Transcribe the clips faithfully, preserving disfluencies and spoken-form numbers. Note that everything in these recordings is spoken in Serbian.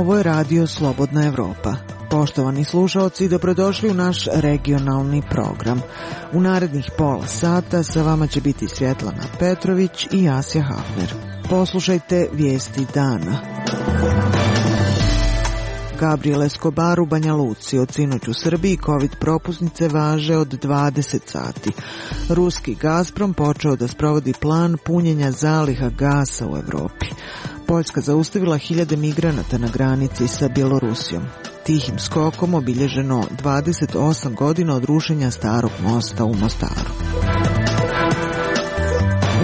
Ovo je radio Slobodna Evropa. Poštovani slušaoci, dobrodošli u naš regionalni program. U narednih pola sata sa vama će biti Svjetlana Petrović i Asja Hafner. Poslušajte vijesti dana. Gabriel Escobar u Banja Luci. Od sinoć u Srbiji COVID propusnice važe od dvadeset sati. Ruski Gazprom počeo da sprovodi plan punjenja zaliha gasa u Evropi. Poljska zaustavila hiljade migranata na granici sa Bjelorusijom. Tihim skokom obilježeno dvadeset osam godina od rušenja starog mosta u Mostaru.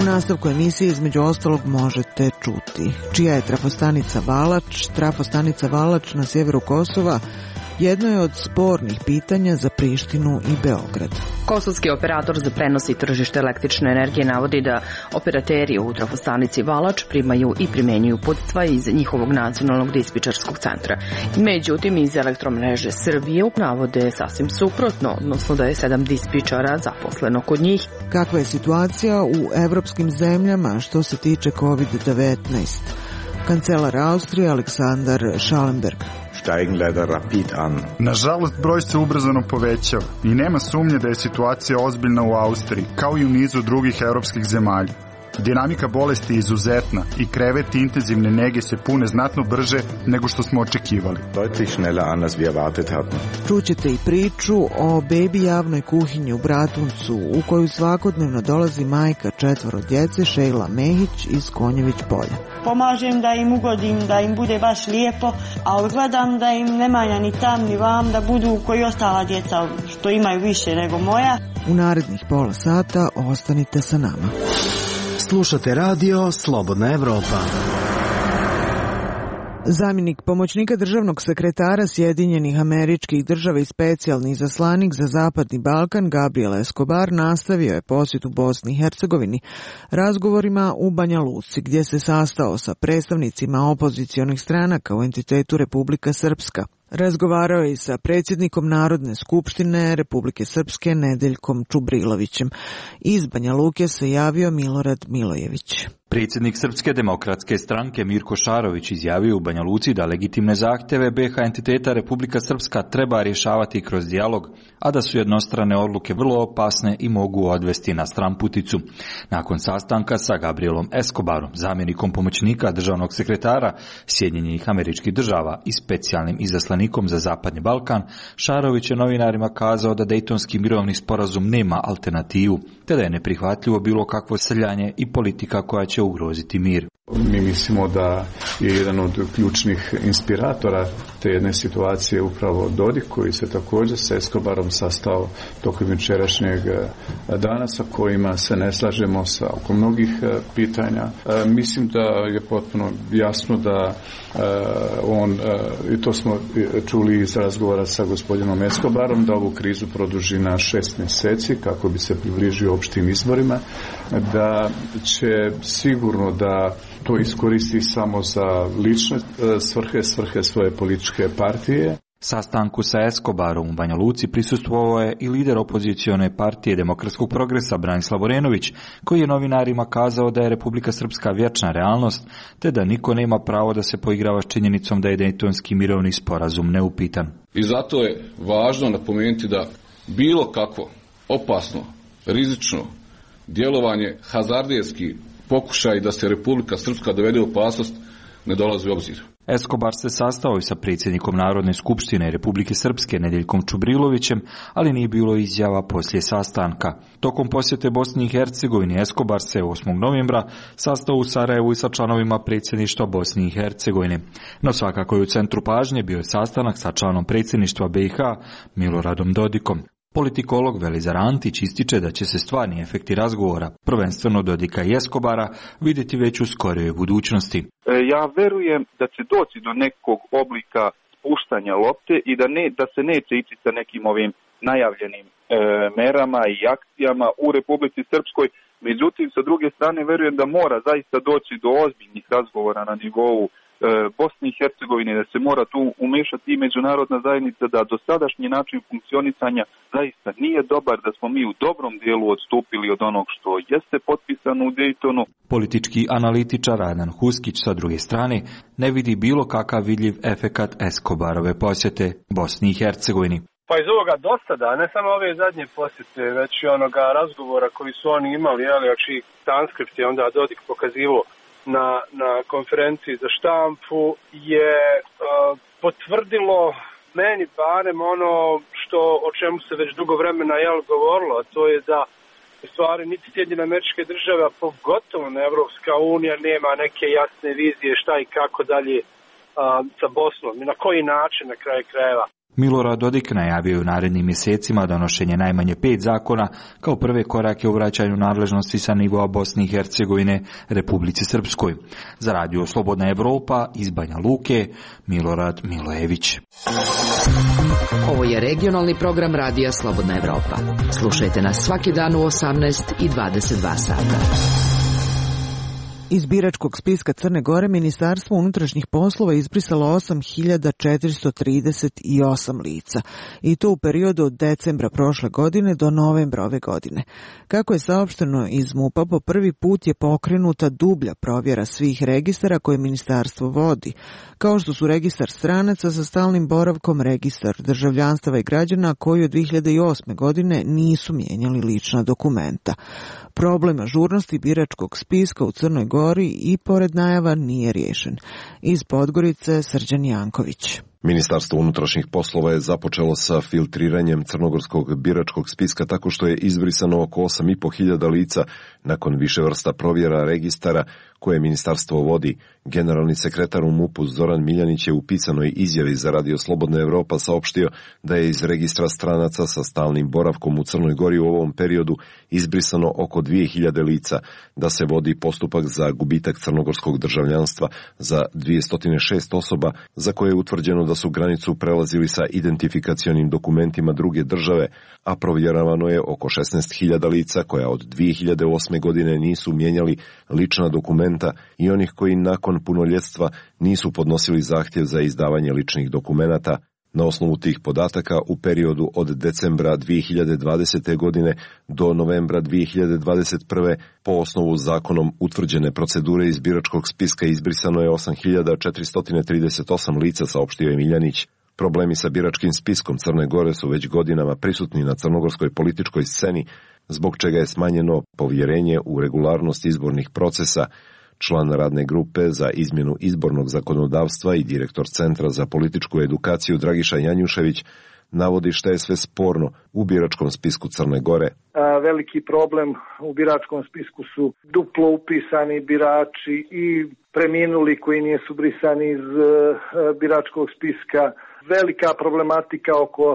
U nastavku emisije između ostalog možete čuti čija je trafostanica Valač. Trafostanica Valač na sjeveru Kosova jedno je od spornih pitanja za Prištinu i Beograd. Kosovski operator za prenos i tržište električne energije navodi da operateri u trafostanici Valač primaju i primenjuju poticaje iz njihovog nacionalnog dispečerskog centra. Međutim, iz Elektromreže Srbije navode sasvim suprotno, odnosno da je sedam dispečera zaposleno kod njih. Kakva je situacija u evropskim zemljama što se tiče kovid devetnaest? Kancelar Austrije Aleksandar Schallenberg. Nažalost, broj se ubrzano povećava i nema sumnje da je situacija ozbiljna u Austriji, kao i u nizu drugih evropskih zemalja. Dinamika bolesti je izuzetna i kreveti intenzivne nege se pune znatno brže nego što smo očekivali. Čućete i priču o bebi javnoj kuhinji u Bratuncu, u koju svakodnevno dolazi majka četvoro djece Šejla Mehić iz Konjević polja. Pomažem da im ugodim, da im bude baš lijepo, a gledam da im ne manja ni tam ni vam, da budu koji ostala djeca što imaju više nego moja. U narednih pola sata ostanite sa nama. Slušate radio Slobodna Evropa. Zamjenik pomoćnika državnog sekretara Sjedinjenih Američkih Država i specijalni izaslanik za Zapadni Balkan Gabriel Escobar nastavio je posjet u Bosni i Hercegovini razgovorima u Banja Luci, gdje se sastao sa predstavnicima opozicionih stranaka u entitetu Republika Srpska. Razgovarao je i sa predsjednikom Narodne skupštine Republike Srpske Nedeljkom Čubrilovićem. Iz Banja Luke se javio Milorad Milojević. Predsjednik Srpske demokratske stranke Mirko Šarović izjavio u Banja Luci da legitimne zahtjeve be ha entiteta Republika Srpska treba rješavati kroz dijalog, a da su jednostrane odluke vrlo opasne i mogu odvesti na stranputicu. Nakon sastanka sa Gabrielom Escobarom, zamjenikom pomoćnika državnog sekretara Sjedinjenih Američkih Država i specijalnim izaslanikom za Zapadni Balkan, Šarović je novinarima kazao da Dejtonski mirovni sporazum nema alternativu, te da je neprihvatljivo bilo kakvo srljanje i politika koja će ugroziti mir. Mi mislimo da je jedan od ključnih inspiratora te jedne situacije upravo Dodik, koji se također sa Escobarom sastao tokom jučerašnjeg dana, sa kojima se ne slažemo sa oko mnogih pitanja. Mislim da je potpuno jasno da on, i to smo čuli iz razgovora sa gospodinom Escobarom, da ovu krizu produži na šest mjeseci kako bi se približio opštim izborima, da će sigurno da to iskoristi samo za lične svrhe, svrhe svoje političke partije. Sastanku sa Escobarom u Banja Luci prisustvovao je i lider opozicione partije Demokratskog progresa Branislav Orenović, koji je novinarima kazao da je Republika Srpska vječna realnost, te da niko nema pravo da se poigrava s činjenicom da je Dejtonski mirovni sporazum neupitan. I zato je važno napomenuti da bilo kakvo opasno, rizično djelovanje, hazardijski pokušaj da se Republika Srpska dovede u opasnost ne dolazi u obzir. Escobar se sastao i sa predsjednikom Narodne skupštine Republike Srpske Nedeljkom Čubrilovićem, ali nije bilo izjava poslije sastanka. Tokom posjete Bosni i Hercegovini Escobar se osmog novembra sastao u Sarajevu i sa članovima predsjedništva Bosni i Hercegovine. No svakako je u centru pažnje bio je sastanak sa članom predsjedništva be i ha Miloradom Dodikom. Politikolog Velizar Antić ističe da će se stvarni efekti razgovora, prvenstveno Dodika i Escobara, vidjeti već u skorijoj budućnosti. Ja verujem da će doći do nekog oblika spuštanja lopte i da, ne, da se neće ići sa nekim ovim najavljenim e, merama i akcijama u Republici Srpskoj. Međutim, sa druge strane, verujem da mora zaista doći do ozbiljnih razgovora na nivou Bosni i Hercegovine, da se mora tu umešati i međunarodna zajednica, da dosadašnji način funkcionisanja zaista nije dobar, da smo mi u dobrom dijelu odstupili od onog što jeste potpisano u Dejtonu. Politički analitičar Adnan Huskić sa druge strane ne vidi bilo kakav vidljiv efekat Escobarove posjete Bosni i Hercegovini. Pa iz ovoga dosada, ne samo ove zadnje posjete, već i onoga razgovora koji su oni imali, ali znači transkript je onda Dodik pokazivo na, na konferenciji za štampu, je uh, potvrdilo meni barem ono što, o čemu se već dugo vremena jel, govorilo, a to je da u stvari niti Sjedinjene Američke Države, a pogotovo na Evropska unija nema neke jasne vizije šta i kako dalje uh, sa Bosnom i na koji način na kraju krajeva. Milorad Dodik najavio je u narednim mjesecima donošenje najmanje pet zakona kao prve korake u vraćanju nadležnosti sa nivoa Bosne i Hercegovine Republici Srpskoj. Za radio Slobodna Evropa iz Banja Luke, Milorad Milojević. Ovo je regionalni program radija Slobodna Evropa. Slušajte nas svaki dan u osamnaest i dvadeset dva sata. Iz biračkog spiska Crne Gore Ministarstvo unutrašnjih poslova izbrisalo osam hiljada četiristo trideset osam lica, i to u periodu od decembra prošle godine do novembra ove godine. Kako je saopšteno iz MUP-a, po prvi put je pokrenuta dublja provjera svih registara koje ministarstvo vodi, kao što su registar stranaca sa stalnim boravkom, registar državljanstava i građana koji od dvije hiljade osme. godine nisu mijenjali lična dokumenta. Problem ažurnosti biračkog spiska u Crnoj Gori i pored najava nije riješen. Iz Podgorice Srđan Janković. Ministarstvo unutrašnjih poslova je započelo sa filtriranjem crnogorskog biračkog spiska tako što je izbrisano oko osam i po hiljada lica nakon više vrsta provjera registara koje ministarstvo vodi. Generalni sekretar u MUP-u Zoran Miljanić je u pisanoj izjavi za radio Slobodna Evropa saopštio da je iz registra stranaca sa stalnim boravkom u Crnoj Gori u ovom periodu izbrisano oko dvije hiljade lica, da se vodi postupak za gubitak crnogorskog državljanstva za dvjesto šest osoba za koje je utvrđeno da su granicu prelazili sa identifikacionim dokumentima druge države, a provjeravano je oko šesnaest hiljada lica koja od dvije hiljade osme. godine nisu mijenjali lična dokumenta i onih koji nakon punoljetstva nisu podnosili zahtjev za izdavanje ličnih dokumenata. Na osnovu tih podataka u periodu od decembra dvije hiljade dvadesete. godine do novembra dvije hiljade dvadeset prve. po osnovu zakonom utvrđene procedure iz biračkog spiska izbrisano je osam hiljada četiristo trideset osam lica, saopštio je Miljanić. Problemi sa biračkim spiskom Crne Gore su već godinama prisutni na crnogorskoj političkoj sceni, zbog čega je smanjeno povjerenje u regularnost izbornih procesa. Član radne grupe za izmjenu izbornog zakonodavstva i direktor Centra za političku edukaciju Dragiša Janjušević navodi šta je sve sporno u biračkom spisku Crne Gore. Veliki problem u biračkom spisku su duplo upisani birači i preminuli koji nisu brisani iz biračkog spiska. Velika problematika oko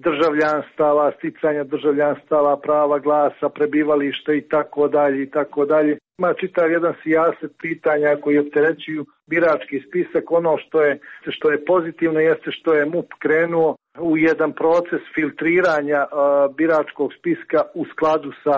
državljanstava, sticanja državljanstava, prava glasa, prebivališta i tako dalje i tako dalje. Ima čitav jedan sijaset pitanja koji opterećuju birački spisak. Ono što je, što je pozitivno jeste što je MUP krenuo u jedan proces filtriranja uh, biračkog spiska u skladu sa,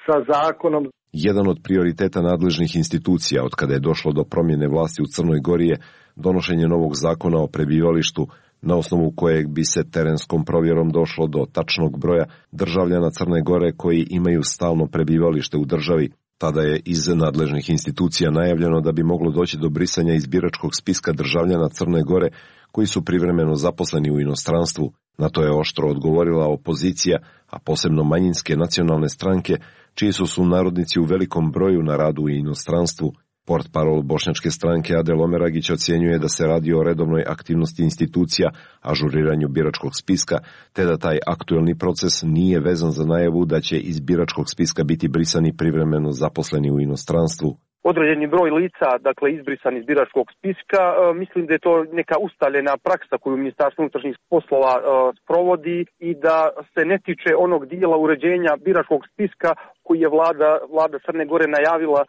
sa zakonom. Jedan od prioriteta nadležnih institucija od kada je došlo do promjene vlasti u Crnoj Gori je donošenje novog zakona o prebivalištu, na osnovu kojeg bi se terenskom provjerom došlo do tačnog broja državljana Crne Gore koji imaju stalno prebivalište u državi. Tada je iz nadležnih institucija najavljeno da bi moglo doći do brisanja iz biračkog spiska državljana Crne Gore koji su privremeno zaposleni u inostranstvu. Na to je oštro odgovorila opozicija, a posebno manjinske nacionalne stranke, čiji su sunarodnici u velikom broju na radu u inostranstvu. Portparol bošnjačke stranke Adel Omeragić ocjenjuje da se radi o redovnoj aktivnosti institucija, ažuriranju biračkog spiska, te da taj aktuelni proces nije vezan za najavu da će iz biračkog spiska biti brisani privremeno zaposleni u inostranstvu. Određeni broj lica, dakle izbrisan iz biračkog spiska, e, mislim da je to neka ustaljena praksa koju Ministarstvo unutrašnjih poslova e, sprovodi i da se ne tiče onog dijela uređenja biračkog spiska koji je vlada, vlada Crne Gore najavila e,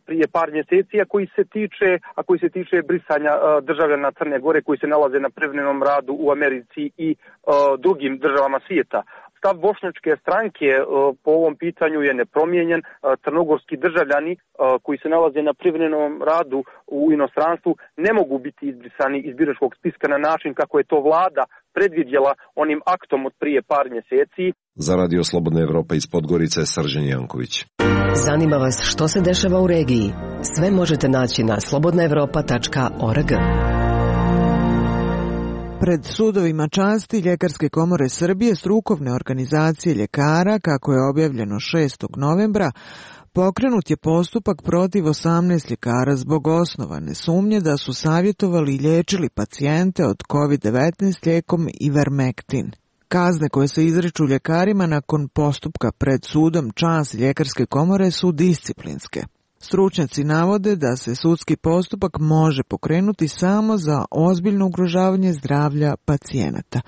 prije par mjeseci, a koji se tiče, a koji se tiče brisanja e, državljana Crne Gore koji se nalaze na privremenom radu u Americi i e, drugim državama svijeta. Stav bošnjačke stranke po ovom pitanju je nepromijenjen. Crnogorski državljani koji se nalaze na privremenom radu u inostranstvu ne mogu biti izbrisani iz biračkog spiska na način kako je to vlada predvidjela onim aktom od prije par mjeseci. Za Radio Slobodna Evropa iz Podgorice, Srđan Janković. Zanima vas što se dešava u regiji? Sve možete naći na slobodna evropa tačka org. Pred sudovima časti Ljekarske komore Srbije, strukovne organizacije ljekara, kako je objavljeno šestog novembra, pokrenut je postupak protiv osamnaest ljekara zbog osnovane sumnje da su savjetovali i liječili pacijente od kovid devetnaest lijekom Ivermektin. Kazne koje se izriču ljekarima nakon postupka pred sudom časti Ljekarske komore su disciplinske. Stručnjaci navode da se sudski postupak može pokrenuti samo za ozbiljno ugrožavanje zdravlja pacijenata.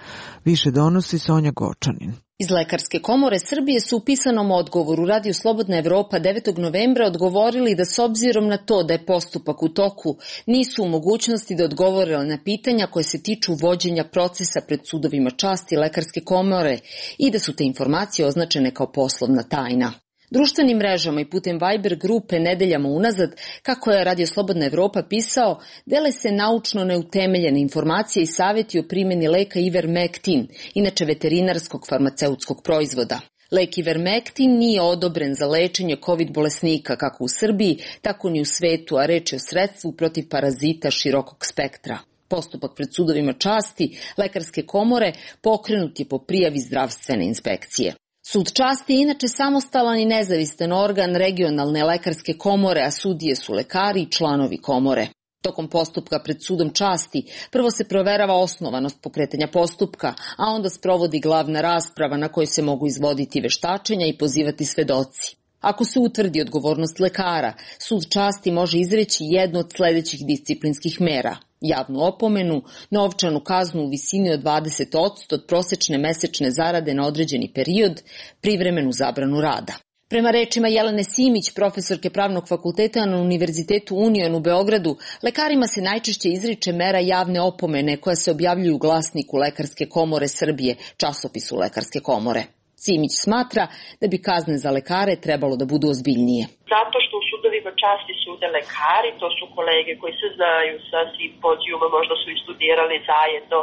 Više donosi Sonja Gočanin. Iz Lekarske komore Srbije su u pisanom odgovoru Radio Slobodna Evropa devetog novembra odgovorili da s obzirom na to da je postupak u toku, nisu u mogućnosti da odgovore na pitanja koje se tiču vođenja procesa pred sudovima časti Lekarske komore i da su te informacije označene kao poslovna tajna. Društvenim mrežama i putem Viber grupe nedeljama unazad, kako je Radio Slobodna Evropa pisao, dele se naučno neutemeljene informacije i savjeti o primjeni leka Ivermektin, inače veterinarskog farmaceutskog proizvoda. Lek Ivermektin nije odobren za lečenje COVID bolesnika kako u Srbiji, tako ni u svetu, a reč je o sredstvu protiv parazita širokog spektra. Postupak pred sudovima časti Lekarske komore pokrenut je po prijavi zdravstvene inspekcije. Sud časti je inače samostalan i nezavistan organ regionalne lekarske komore, a sudije su lekari i članovi komore. Tokom postupka pred sudom časti prvo se proverava osnovanost pokretanja postupka, a onda sprovodi glavna rasprava na kojoj se mogu izvoditi veštačenja i pozivati svedoci. Ako se utvrdi odgovornost lekara, sud časti može izreći jednu od sljedećih disciplinskih mera: javnu opomenu, novčanu kaznu u visini od dvadeset posto od prosečne mesečne zarade na određeni period, privremenu zabranu rada. Prema rečima Jelene Simić, profesorke Pravnog fakulteta na Univerzitetu Union u Beogradu, lekarima se najčešće izriče mera javne opomene koja se objavljuju u glasniku Lekarske komore Srbije, časopisu Lekarske komore. Simić smatra da bi kazne za lekare trebalo da budu ozbiljnije. Zato što u sudovima časti sude lekari, to su kolege koji se znaju sa simpozijuma, možda su i studirali zajedno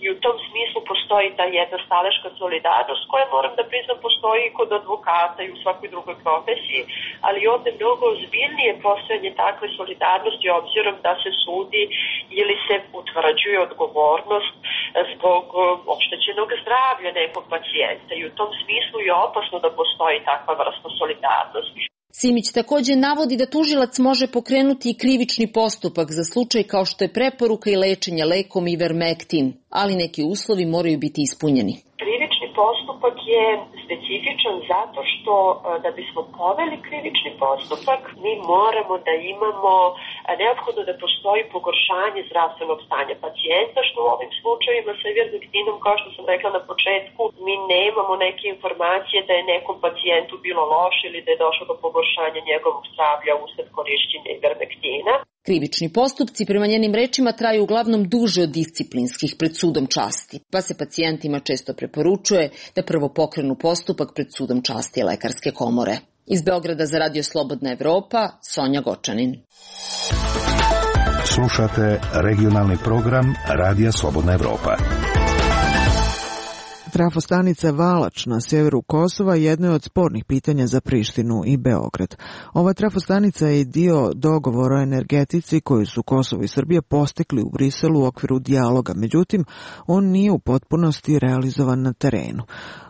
i u tom smislu postoji ta jedna staleška solidarnost koja, moram da priznam, postoji i kod advokata i u svakoj drugoj profesiji, ali ovde mnogo ozbiljnije postojanje takve solidarnosti obzirom da se sudi ili se utvrđuje odgovornost zbog oštećenog zdravlja nekog pacijenta i u tom smislu je opasno da postoji takva vrsta solidarnosti. Simić također navodi da tužilac može pokrenuti i krivični postupak za slučaj kao što je preporuka i lečenje lekom Ivermektin, ali neki uslovi moraju biti ispunjeni. Krivični postupak je specifičan zato što da bismo poveli krivični postupak mi moramo da imamo neophodno da postoji pogoršanje zdravstvenog stanja pacijenta, što u ovim slučajevima sa Ivermektinom, kao što sam rekla na početku, mi nemamo neke informacije da je nekom pacijentu bilo loše ili da je došlo do pogoršanja njegovog zdravlja usled korišćenja Ivermektina. Krivični postupci prema njenim rečima traju uglavnom duže od disciplinskih pred sudom časti, pa se pacijentima često preporučuje da prvo pokrenu postupak pred sudom časti Lekarske komore. Iz Beograda za Radio Slobodna Evropa, Sonja Gočanin. Slušate regionalni program Radija Slobodna Evropa. Trafostanica Valač na sjeveru Kosova jedno je od spornih pitanja za Prištinu i Beograd. Ova trafostanica je dio dogovora o energetici koju su Kosovo i Srbija postigli u Briselu u okviru dijaloga, međutim, on nije u potpunosti realizovan na terenu.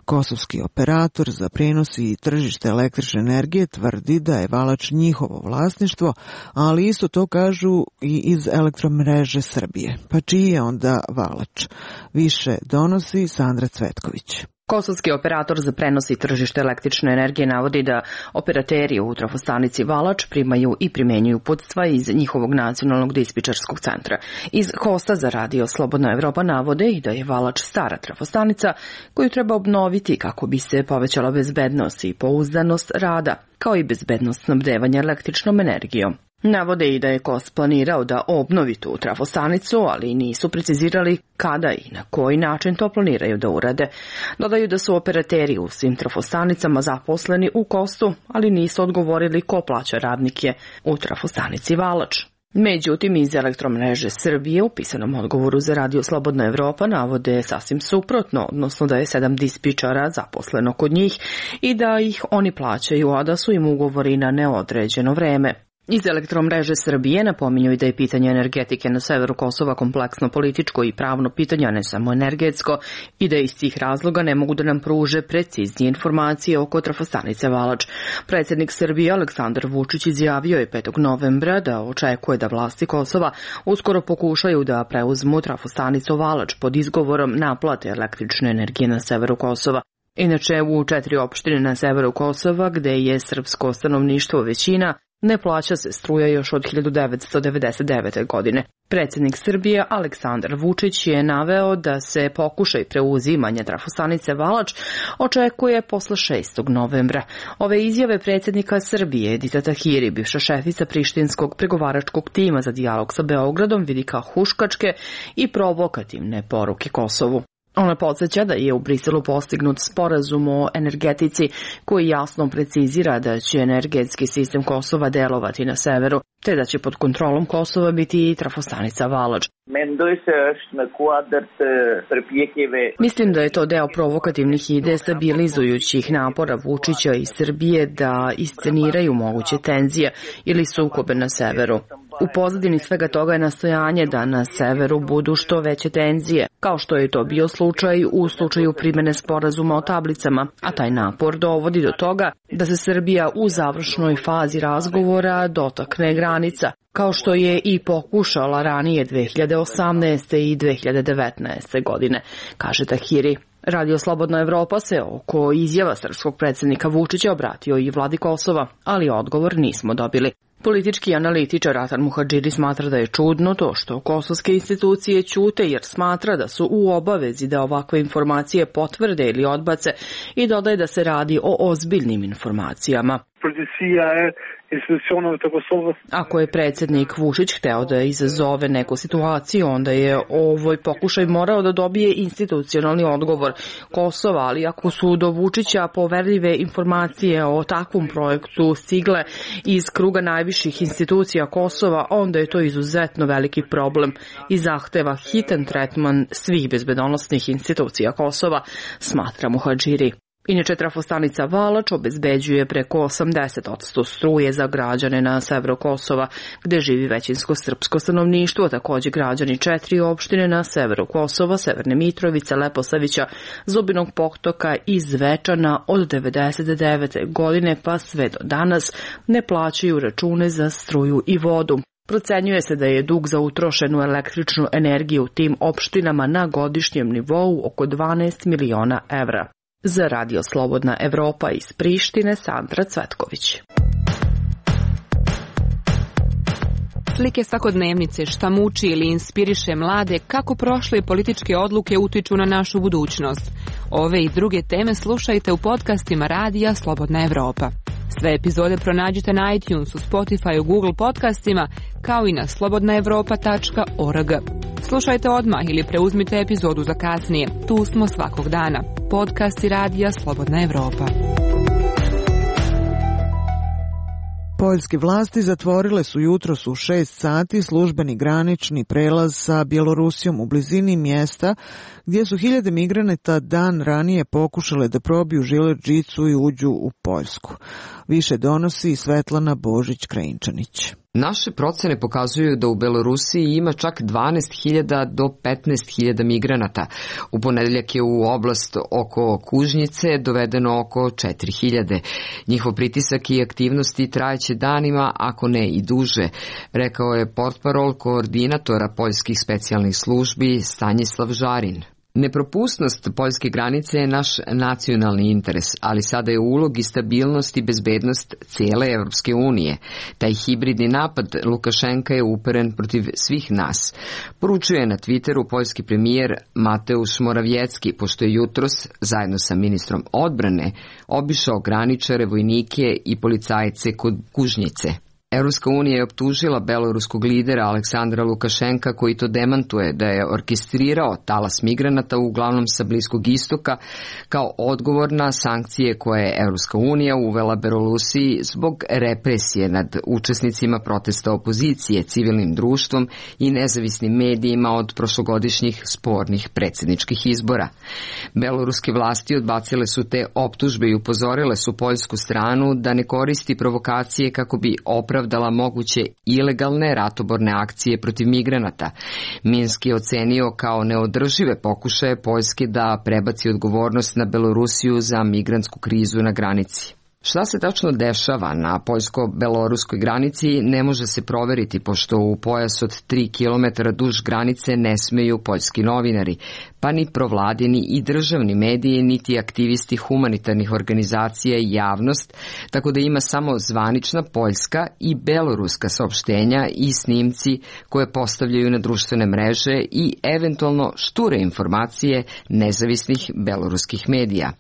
Kosovski operator za prijenos i tržište električne energije tvrdi da je Valač njihovo vlasništvo, ali isto to kažu i iz Elektromreže Srbije. Pa čiji je onda Valač? Više donosi Sandra Cvetković. Kosovski operator za prenos i tržište električne energije navodi da operateri u trafostanici Valač primaju i primenjuju uputstva iz njihovog nacionalnog dispečerskog centra. Iz hosta za Radio Slobodna Evropa navode i da je Valač stara trafostanica koju treba obnoviti kako bi se povećala bezbednost i pouzdanost rada, kao i bezbednost snabdevanja električnom energijom. Navode i da je K O S planirao da obnovi tu trafostanicu, ali nisu precizirali kada i na koji način to planiraju da urade. Dodaju da su operateri u svim trafostanicama zaposleni u K O S-u, ali nisu odgovorili ko plaća radnike u trafostanici Valač. Međutim, iz Elektromreže Srbije u pisanom odgovoru za Radio Slobodna Evropa navode sasvim suprotno, odnosno da je sedam dispičara zaposleno kod njih i da ih oni plaćaju, a da su im ugovori na neodređeno vreme. Iz Elektromreže Srbije napominju i da je pitanje energetike na severu Kosova kompleksno političko i pravno pitanje, a ne samo energetsko, i da iz tih razloga ne mogu da nam pruže preciznije informacije oko trafostanice Valač. Predsjednik Srbije Aleksandar Vučić izjavio je petog novembra da očekuje da vlasti Kosova uskoro pokušaju da preuzmu trafostanicu Valač pod izgovorom naplate električne energije na severu Kosova. Inače, u četiri opštine na severu Kosova, gde je srpsko stanovništvo većina, ne plaća se struja još od hiljadu devetsto devedeset devete. godine. Predsjednik Srbije Aleksandar Vučić je naveo da se pokušaj preuzimanja trafostanice Valač očekuje posle šestog novembra. Ove izjave predsjednika Srbije Edita Tahiri, bivša šefica prištinskog pregovaračkog tima za dijalog sa Beogradom, vidi kao huškačke i provokativne poruke Kosovu. Ona podsjeća da je u Briselu postignut sporazum o energetici koji jasno precizira da će energetski sistem Kosova delovati na severu, te da će pod kontrolom Kosova biti i trafostanica Valač. Mislim da je to deo provokativnih i destabilizujućih napora Vučića i Srbije da isceniraju moguće tenzije ili sukobe na severu. U pozadini svega toga je nastojanje da na severu budu što veće tenzije, kao što je to bio slučaj u slučaju primene sporazuma o tablicama, a taj napor dovodi do toga da se Srbija u završnoj fazi razgovora dotakne granica, kao što je i pokušala ranije dve hiljade osamnaeste. i dve hiljade devetnaeste. godine, kaže Tahiri. Radio Slobodna Evropa se oko izjava srpskog predsjednika Vučića obratio i vladi Kosova, ali odgovor nismo dobili. Politički analitičar Atan Muhadžiri smatra da je čudno to što kosovske institucije ćute jer smatra da su u obavezi da ovakve informacije potvrde ili odbace i dodaje da se radi o ozbiljnim informacijama. Ako je predsjednik Vučić hteo da izazove neku situaciju, onda je ovoj pokušaj morao da dobije institucionalni odgovor Kosova, ali ako su do Vučića poverljive informacije o takvom projektu stigle iz kruga najviših institucija Kosova, onda je to izuzetno veliki problem i zahteva hitan tretman svih bezbedonosnih institucija Kosova, smatra Muhadžiri. Inače, trafostanica Valač obezbeđuje preko osamdeset posto struje za građane na severu Kosova, gde živi većinsko srpsko stanovništvo, također građani četiri opštine na severu Kosova, Severne Mitrovice, Leposavića, Zubinog Potoka i Zvečana od devedeset devete. godine pa sve do danas ne plaćaju račune za struju i vodu. Procenjuje se da je dug za utrošenu električnu energiju u tim opštinama na godišnjem nivou oko dvanaest miliona evra. Za Radio Slobodna Evropa iz Prištine, Sandra Cvetković. Slike svakodnevnice, šta muči ili inspiriše mlade, kako prošle političke odluke utiču na našu budućnost. Ove i druge teme slušajte u podcastima Radija Slobodna Evropa. Sve epizode pronađite na iTunesu, Spotifyu, Google podcastima, kao i na slobodna evropa tačka org. Slušajte odmah ili preuzmite epizodu za kasnije. Tu smo svakog dana. Podcasti Radija Slobodna Evropa. Poljske vlasti zatvorile su jutros u šest sati službeni granični prelaz sa Bjelorusijom u blizini mjesta gdje su hiljade migranata dan ranije pokušale da probiju žilet žicu i uđu u Poljsku. Više donosi Svetlana Božić-Krajinčanić. Naše procene pokazuju da u Belorusiji ima čak dvanaest hiljada do petnaest hiljada migranata. U ponedeljak je u oblast oko Kužnjice dovedeno oko četiri hiljade. Njihov pritisak i aktivnosti trajeće danima, ako ne i duže, rekao je portparol koordinatora poljskih specijalnih službi Stanislav Žarin. Nepropusnost poljske granice je naš nacionalni interes, ali sada je ulog i stabilnost i bezbednost cijele Evropske unije. Taj hibridni napad Lukašenka je uperen protiv svih nas. Poručuje na Twitteru poljski premijer Mateusz Morawiecki, pošto je jutros, zajedno sa ministrom odbrane, obišao graničare, vojnike i policajce kod Kužnjice. Evropska unija je optužila beloruskog lidera Aleksandra Lukašenka, koji to demantuje, da je orkestrirao talas migranata uglavnom sa Bliskog istoka kao odgovor na sankcije koje je Evropska unija uvela Belorusiji zbog represije nad učesnicima protesta opozicije, civilnim društvom i nezavisnim medijima od prošlogodišnjih spornih predsjedničkih izbora. Beloruske vlasti odbacile su te optužbe i upozorile su poljsku stranu da ne koristi provokacije kako bi opravdala moguće ilegalne ratoborne akcije protiv migranata. Minsk je ocenio kao neodržive pokušaje Poljske da prebaci odgovornost na Belorusiju za migrantsku krizu na granici. Šta se tačno dešava na poljsko-beloruskoj granici ne može se proveriti, pošto u pojas od tri kilometra duž granice ne smeju poljski novinari, pa ni provladini i državni mediji, niti aktivisti humanitarnih organizacija i javnost, tako da ima samo zvanična poljska i beloruska saopštenja i snimci koje postavljaju na društvene mreže i eventualno šture informacije nezavisnih beloruskih medija.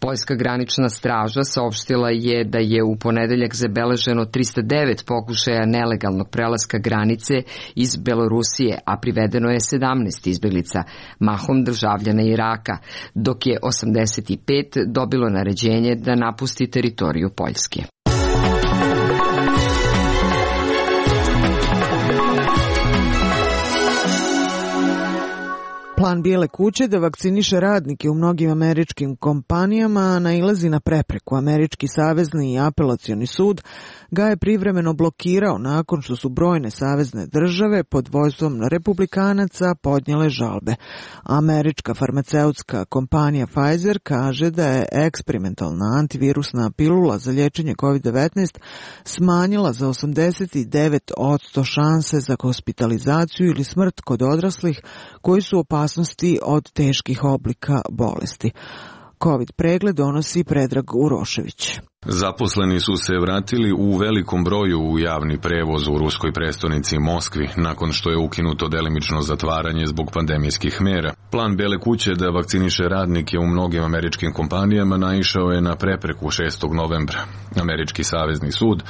Poljska granična straža saopštila je da je u ponedeljak zabeleženo tristo devet pokušaja nelegalnog prelaska granice iz Belorusije, a privedeno je sedamnaest izbjeglica, mahom državljana Iraka, dok je osamdeset pet dobilo naređenje da napusti teritoriju Poljske. Plan Bijele kuće da vakciniše radnike u mnogim američkim kompanijama nailazi na prepreku. Američki savezni i apelacioni sud ga je privremeno blokirao nakon što su brojne savezne države pod vođstvom republikanaca podnijele žalbe. Američka farmaceutska kompanija Pfizer kaže da je eksperimentalna antivirusna pilula za liječenje kovid devetnaest smanjila za osamdeset devet posto šanse za hospitalizaciju ili smrt kod odraslih koji su opasnosti od teških oblika bolesti. Covid pregled donosi Predrag Urošević. Zaposleni su se vratili u velikom broju u javni prevoz u ruskoj prestonici Moskvi, nakon što je ukinuto delimično zatvaranje zbog pandemijskih mera. Plan Bijele kuće da vakciniše radnike u mnogim američkim kompanijama naišao je na prepreku šestog novembra. Američki savezni sud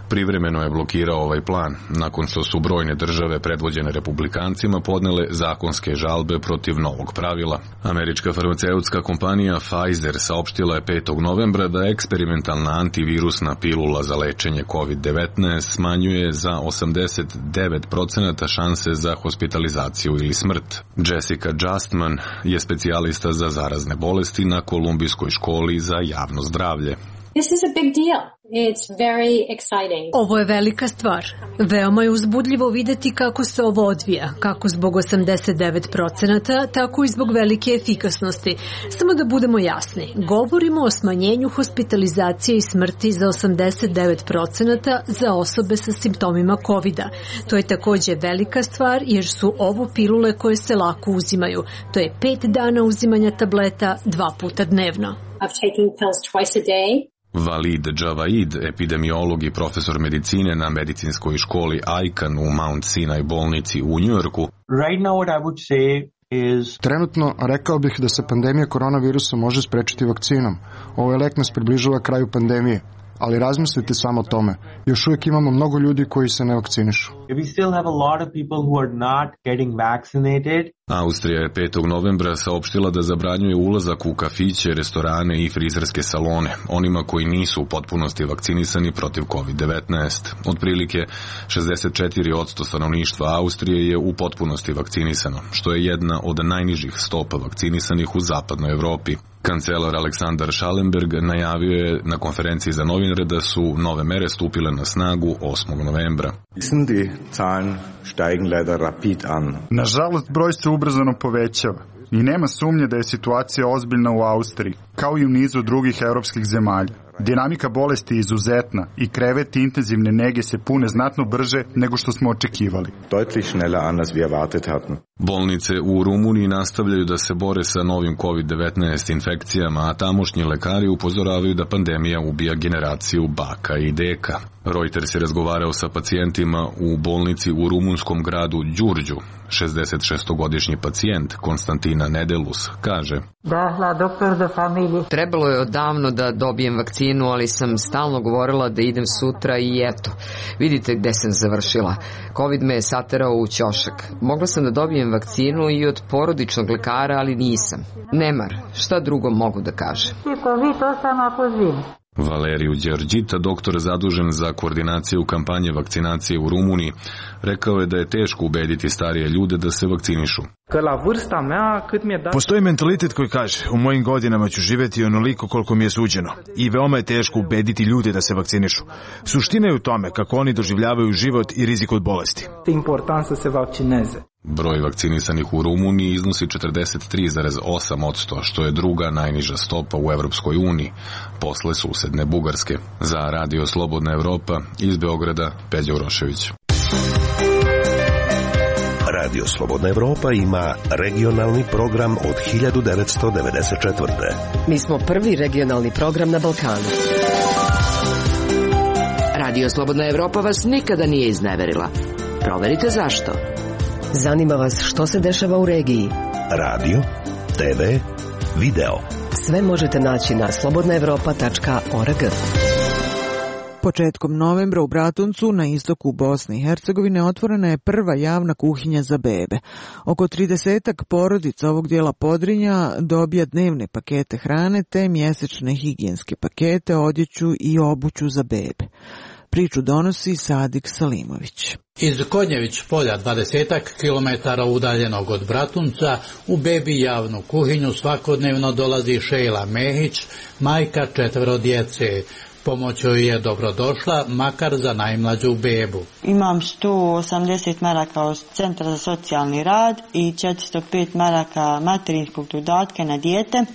privremeno je blokirao ovaj plan, nakon što su brojne države predvođene republikancima podnele zakonske žalbe protiv novog pravila. Američka farmaceutska kompanija Pfizer saopštila je petog novembra da eksperimentalna antivirusna pilula za lečenje kovid devetnaest smanjuje za osamdeset devet procenata šanse za hospitalizaciju ili smrt. Jessica Justman je specijalista za zarazne bolesti na Kolumbijskoj školi za javno zdravlje. This is a big deal. It's very exciting. Ovo je velika stvar. Veoma je uzbudljivo videti kako se ovo odvija, kako zbog osamdeset devet procenata, tako i zbog velike efikasnosti. Samo da budemo jasni, govorimo o smanjenju hospitalizacije i smrti za osamdeset devet procenata za osobe sa simptomima kovida. To je također velika stvar jer su ovo pilule koje se lako uzimaju. To je pet dana uzimanja tableta dva puta dnevno. Of taking pills twice a day. Valid Javaid, epidemiolog i profesor medicine na medicinskoj školi Icahn u Mount Sinai bolnici u Njujorku. Right now what I would say is... Trenutno rekao bih da se pandemija koronavirusa može sprečiti vakcinom. Ovaj lek nas približava kraju pandemije. Ali razmislite samo o tome. Još uvijek imamo mnogo ljudi koji se ne vakcinišu. We still have a lot of people who are not getting vaccinated. Austrija je petog novembra saopštila da zabranjuje ulazak u kafiće, restorane i frizerske salone onima koji nisu u potpunosti vakcinisani protiv kovid devetnaest. Otprilike šezdeset četiri posto stanovništva Austrije je u potpunosti vakcinisano, što je jedna od najnižih stopa vakcinisanih u zapadnoj Evropi. Kancelar Aleksandar Schallenberg najavio je na konferenciji za novinare da su nove mere stupile na snagu osmog novembra. Nažalost, broj se ubrzano povećava i nema sumnje da je situacija ozbiljna u Austriji, kao i u nizu drugih evropskih zemalja. Dinamika bolesti je izuzetna i kreveti intenzivne nege se pune znatno brže nego što smo očekivali. Bolnice u Rumuniji nastavljaju da se bore sa novim kovid devetnaest infekcijama, a tamošnji lekari upozoravaju da pandemija ubija generaciju baka i deka. Reuters je razgovarao sa pacijentima u bolnici u rumunskom gradu Đurđu. šezdeset šestogodišnji pacijent Konstantina Nedelus kaže: Da, la doktor de familije. Trebalo je odavno da dobijem vakcinu, ali sam stalno govorila da idem sutra i eto, vidite gde sam završila. Covid me je saterao u ćošak. Mogla sam da dobijem vakcinu i od porodičnog lekara, ali nisam. Nemar, šta drugo mogu da kažem? Valeriju Đerđita, doktor zadužen za koordinaciju kampanje vakcinacije u Rumuniji, rekao je da je teško ubediti starije ljude da se vakcinišu. Postoji mentalitet koji kaže, u mojim godinama ću živeti onoliko koliko mi je suđeno i veoma je teško ubediti ljude da se vakcinišu. Suština je u tome kako oni doživljavaju život i rizik od bolesti. Broj vakcinisanih u Rumuniji iznosi četrdeset tri zarez osam posto, što je druga najniža stopa u Evropskoj uniji, posle susedne Bugarske. Za Radio Slobodna Evropa, iz Beograda, Peđa Urošević. Radio Slobodna Evropa ima regionalni program od hiljadu devetsto devedeset četvrte. Mi smo prvi regionalni program na Balkanu. Radio Slobodna Evropa vas nikada nije izneverila. Proverite zašto. Zanima vas što se dešava u regiji. Radio, te ve, video. Sve možete naći na slobodna evropa tačka org. Početkom novembra u Bratuncu na istoku Bosne i Hercegovine otvorena je prva javna kuhinja za bebe. Oko tridesetak porodica ovog dijela Podrinja dobija dnevne pakete hrane te mjesečne higijenske pakete, odjeću i obuću za bebe. Priču donosi Sadik Salimović. Iz Konjević polja, dvadesetak kilometara udaljenog od Bratunca, u bebi javnu kuhinju svakodnevno dolazi Šejla Mehić, majka četvero djece. Pomoć joj je dobrodošla, makar za najmlađu bebu. Imam sto osamdeset maraka od Centra za socijalni rad i četiristo pet maraka materinskog dodatka na dijete.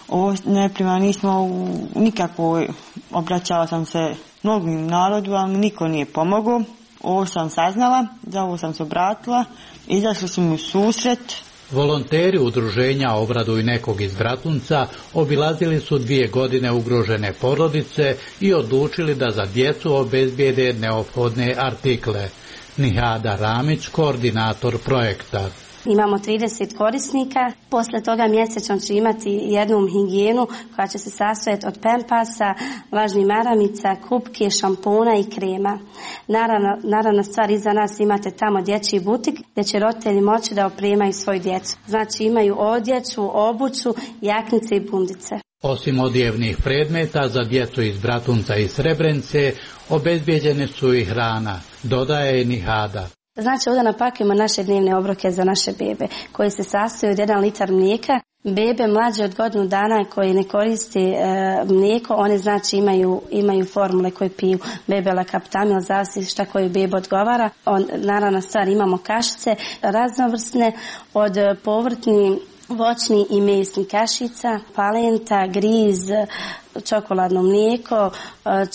Ovo ne prima, nismo nikako, obraćala sam se mnogim narodu, ali niko nije pomogao. Ovo sam saznala, za ovo sam se obratila, izašli su mi u susret. Volonteri udruženja Obraduj nekog iz Bratunca obilazili su dvije godine ugrožene porodice i odlučili da za djecu obezbijede neophodne artikle. Nihada Ramić, koordinator projekta. Imamo trideset korisnika, posle toga mjesečno će imati jednu higijenu koja će se sastojati od pempasa, vlažnih maramica, kupke, šampona i krema. Naravno, naravno stvar iza nas imate tamo dječji butik gdje će roditelji moći da opremaju svoju djecu. Znači imaju odjeću, obuću, jaknice i bundice. Osim odjevnih predmeta za djecu iz Bratunca i Srebrenice, obezbijeđene su i hrana, dodaje Nihada. Znači ovdje napakujemo naše dnevne obroke za naše bebe, koje se sastoje od jedan litar mlijeka. Bebe mlađe od godinu dana koje ne koriste e, mlijeko, one znači imaju, imaju formule koje piju bebe lakaptamil, zavisi šta koju bebe odgovara. On, naravno stvar imamo kašice raznovrsne od povrtni, voćni i mesni kašica, palenta, griz, čokoladno mlijeko,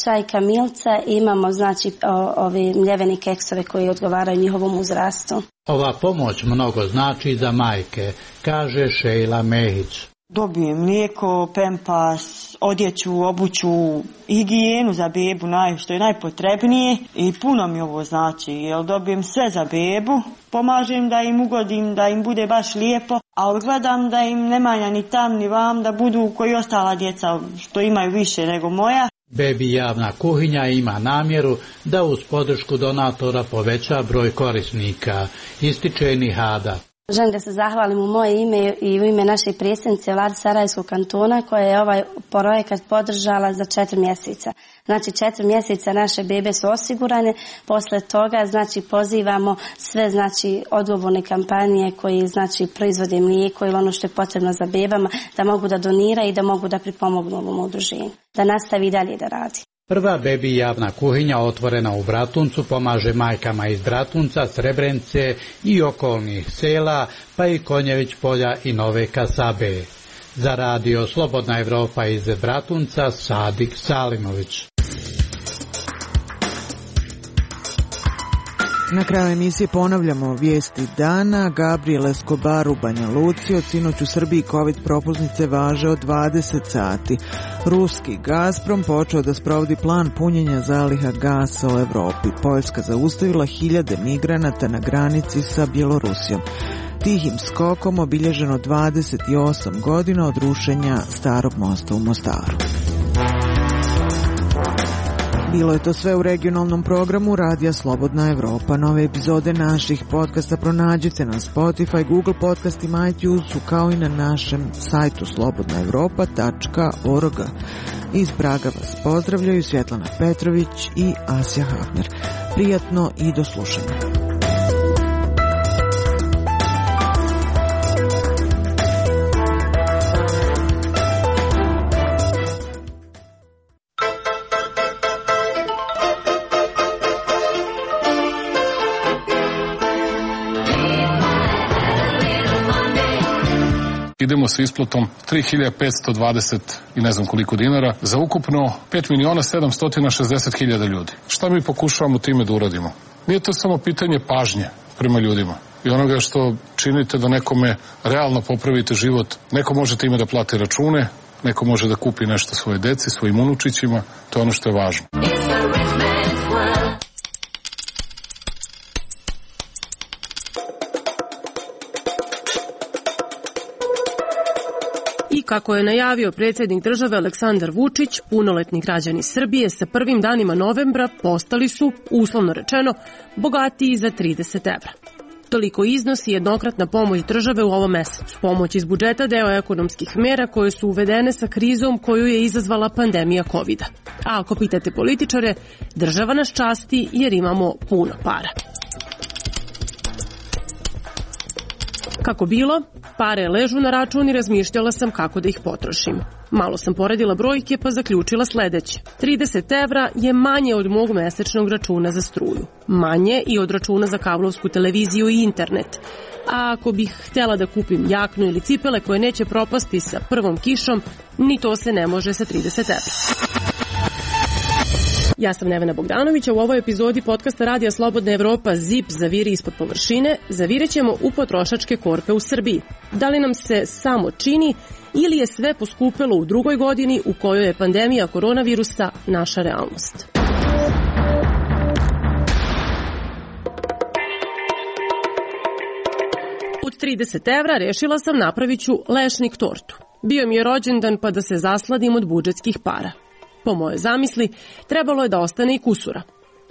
čaj kamilca i imamo znači ove mljevene keksove koji odgovaraju njihovom uzrastu. Ova pomoć mnogo znači za majke, kaže Šejla Mehić. Dobijem mlijeko, pempas, odjeću, obuću, higijenu za bebu, naj, što je najpotrebnije i puno mi ovo znači, jer dobijem sve za bebu, pomažem da im ugodim, da im bude baš lijepo, ali gledam da im ne manja ni tam ni vam, da budu koji ostala djeca što imaju više nego moja. Bebi javna kuhinja ima namjeru da uz podršku donatora poveća broj korisnika, ističe Nihada. Želim da se zahvalim u moje ime i u ime naše predsjednice Vlade Sarajevskog kantona koja je ovaj projekat podržala za četiri mjeseca. Znači četiri mjeseca naše bebe su osigurane, posle toga znači pozivamo sve znači odgovorne kompanije koji znači proizvode mlijeko ili ono što je potrebno za bebama da mogu da doniraju i da mogu da pripomognu ovom udruženju, da nastavi dalje da radi. Prva bebi javna kuhinja otvorena u Bratuncu pomaže majkama iz Bratunca, Srebrenice i okolnih sela, pa i Konjević polja i Nove Kasabe. Za Radio Slobodna Evropa iz Bratunca, Sadik Salimović. Na kraju emisije ponavljamo vijesti dana. Gabriel Escobar u Banja Luci. Od sinoć u Srbiji COVID propusnice važe od dvadeset sati. Ruski Gazprom počeo da sprovodi plan punjenja zaliha gasa u Evropi. Poljska zaustavila hiljade migranata na granici sa Bjelorusijom. tihim skokom obilježeno dvadeset osam godina od rušenja Starog mosta u Mostaru. Bilo je to sve u regionalnom programu Radija Slobodna Evropa. Nove epizode naših podcasta pronađite na Spotify, Google podcastima, iTunesu, kao i na našem sajtu slobodna evropa tačka org. Iz Praga vas pozdravljaju Svjetlana Petrović i Asja Hafner. Prijatno i do slušanja. Idemo sa isplatom tri hiljade petsto dvadeset i ne znam koliko dinara za ukupno pet miliona sedamsto šezdeset hiljada ljudi. Šta mi pokušavamo time da uradimo? Nije to samo pitanje pažnje prema ljudima i onoga što činite da nekome realno popravite život. Neko može time da plati račune, neko može da kupi nešto svoje deci, svojim unučićima. To je ono što je važno. Kako je najavio predsjednik države Aleksandar Vučić, punoletni građani Srbije sa prvim danima novembra postali su, uslovno rečeno, bogatiji za trideset evra. Toliko iznosi jednokratna pomoć države u ovom mesecu. Pomoć iz budžeta deo ekonomskih mera koje su uvedene sa krizom koju je izazvala pandemija kovida. A ako pitate političare, država nas časti jer imamo puno para. Kako bilo, pare ležu na račun i razmišljala sam kako da ih potrošim. Malo sam poredila brojke pa zaključila sledeće. trideset evra je manje od mog mesečnog računa za struju. Manje i od računa za kablovsku televiziju i internet. A ako bih htjela da kupim jaknu ili cipele koje neće propasti sa prvom kišom, ni to se ne može sa trideset evra. Ja sam Nevena Bogdanović, a u ovoj epizodi podcasta Radija Slobodna Evropa Zip zaviri ispod površine, zavirećemo u potrošačke korpe u Srbiji. Da li nam se samo čini ili je sve poskupelo u drugoj godini u kojoj je pandemija koronavirusa naša realnost? Od trideset evra rešila sam napravit ću lešnik tortu. Bio mi je rođendan pa da se zasladim od budžetskih para. Po moje zamisli, trebalo je da ostane i kusura.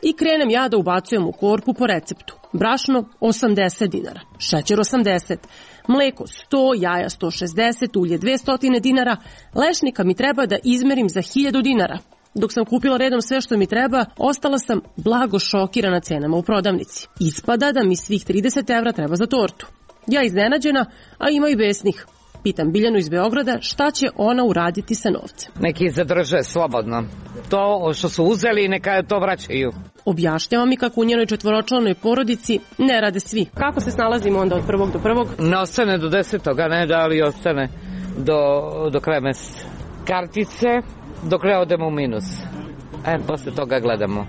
I krenem ja da ubacujem u korpu po receptu. Brašno osamdeset dinara, šećer osamdeset, mleko sto, jaja sto šezdeset, ulje dvesta dinara, lešnika mi treba da izmerim za hiljadu dinara. Dok sam kupila redom sve što mi treba, ostala sam blago šokirana cenama u prodavnici. Ispada da mi svih trideset evra treba za tortu. Ja iznenađena, a ima i besnih. Pitam Biljanu iz Beograda šta će ona uraditi sa novcem. Neki zadrže slobodno. To što su uzeli neka to vraćaju. Objašnjava mi kako u njenoj četvoročlanoj porodici ne rade svi. Kako se snalazimo onda od prvog do prvog? Ne ostane do desetoga, ne da li ostane do, do kraja meseca. Kartice dok ne odemo u minus. E, posle toga gledamo.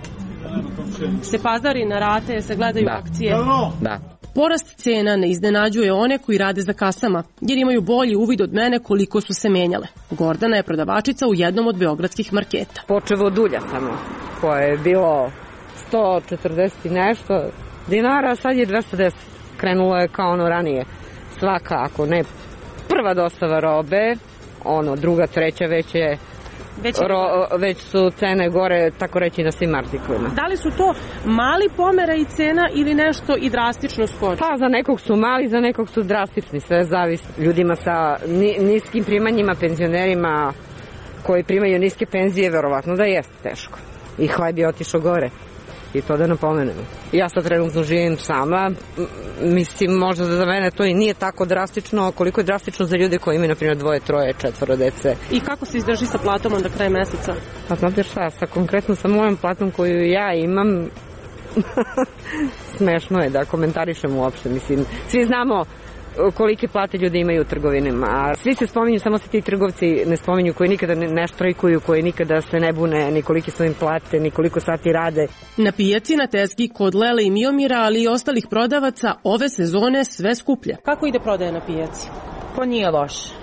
Se pazari na rate, se gledaju da. Akcije? Da. Porast cena ne iznenađuje one koji rade za kasama, jer imaju bolji uvid od mene koliko su se menjale. Gordana je prodavačica u jednom od beogradskih marketa. Počevo od ulja samo, koje je bilo sto četrdeset i nešto dinara, sad je dvesta deset. Krenulo je kao ono ranije. Svaka, ako ne prva dostava robe, ono druga, treća već je Već, Ro, već su cene gore, tako reći, na svim artiklima. Da li su to mali pomera i cena ili nešto i drastično skoči? Pa za nekog su mali, za nekog su drastični, sve zavisi. Ljudima sa niskim primanjima, penzionerima koji primaju niske penzije, verovatno da jeste teško. I hleb je otišao gore. I to da napomenemo. Ja sad trenutno živim sama, mislim možda za mene to i nije tako drastično, koliko je drastično za ljude koji imaju na primjer dvoje, troje, četvoro dece. I kako se izdrži sa platom onda kraj meseca? Pa znate šta, sa konkretno sa mojom platom koju ja imam, smešno je da komentarišem uopšte, mislim, svi znamo kolike plate ljudi imaju u trgovinama. A svi se spominju, samo se ti trgovci ne spominju koji nikada ne štrajkuju, koji nikada se ne bune, ni kolike su im plate, ni koliko sati rade. Na pijaci, na teski, kod Lele i Miomira, ali i ostalih prodavaca, ove sezone sve skuplje. Kako ide prodaja na pijaci? Pa nije loše.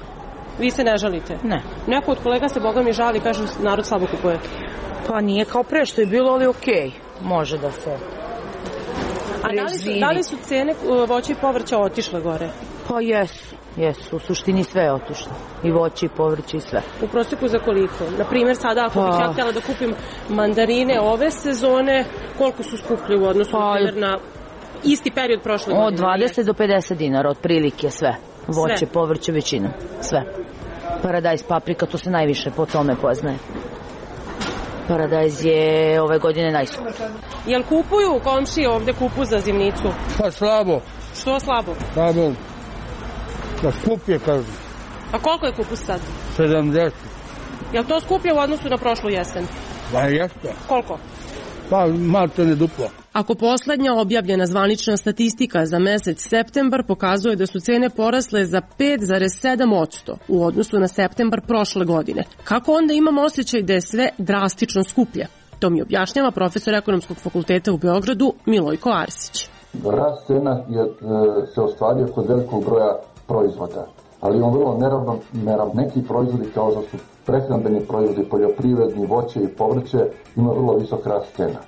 Vi se ne žalite? Ne. Neko od kolega se boga mi žali, kaže narod slabo kupuje. Pa nije kao pre što je bilo, ali okej. Može da se... A da li su, da li su cene voća i povrća otišle gore? Pa jesu, jesu. U suštini sve je otišlo. I voće i povrće i sve. U proseku za koliko? Naprimjer, sada ako bih ja htjela da kupim mandarine ove sezone, koliko su skuplje u odnosu pa, na isti period prošle godine? Od dvadeset do pedeset dinara, otprilike sve. Voće, sve. Povrće, većina. Sve. Paradajz, paprika, to se najviše po tome poznaje. Paradajz je ove godine najskuplji. Jel kupuju komšije ovde kupu za zimnicu? Pa slabo. Što slabo? Slabo. Da skup je, kažu. A koliko je kupus sad? sedamdeset. Jel to skuplje u odnosu na prošlu jesen? Pa jeste. Koliko? Pa malte ne duplo. Ako poslednja objavljena zvanična statistika za mesec septembar pokazuje da su cene porasle za pet zarez sedam posto u odnosu na septembar prošle godine, kako onda imamo osjećaj da je sve drastično skuplje? To mi objašnjava profesor Ekonomskog fakulteta u Beogradu Milojko Arsić. Rast cena je e, se ostvario kod velikog broja proizvoda, ali on vrlo neravnomeran. Neki proizvodi kao što su prehrambeni proizvodi, poljoprivredni, voće i povrće ima vrlo visok rast cena.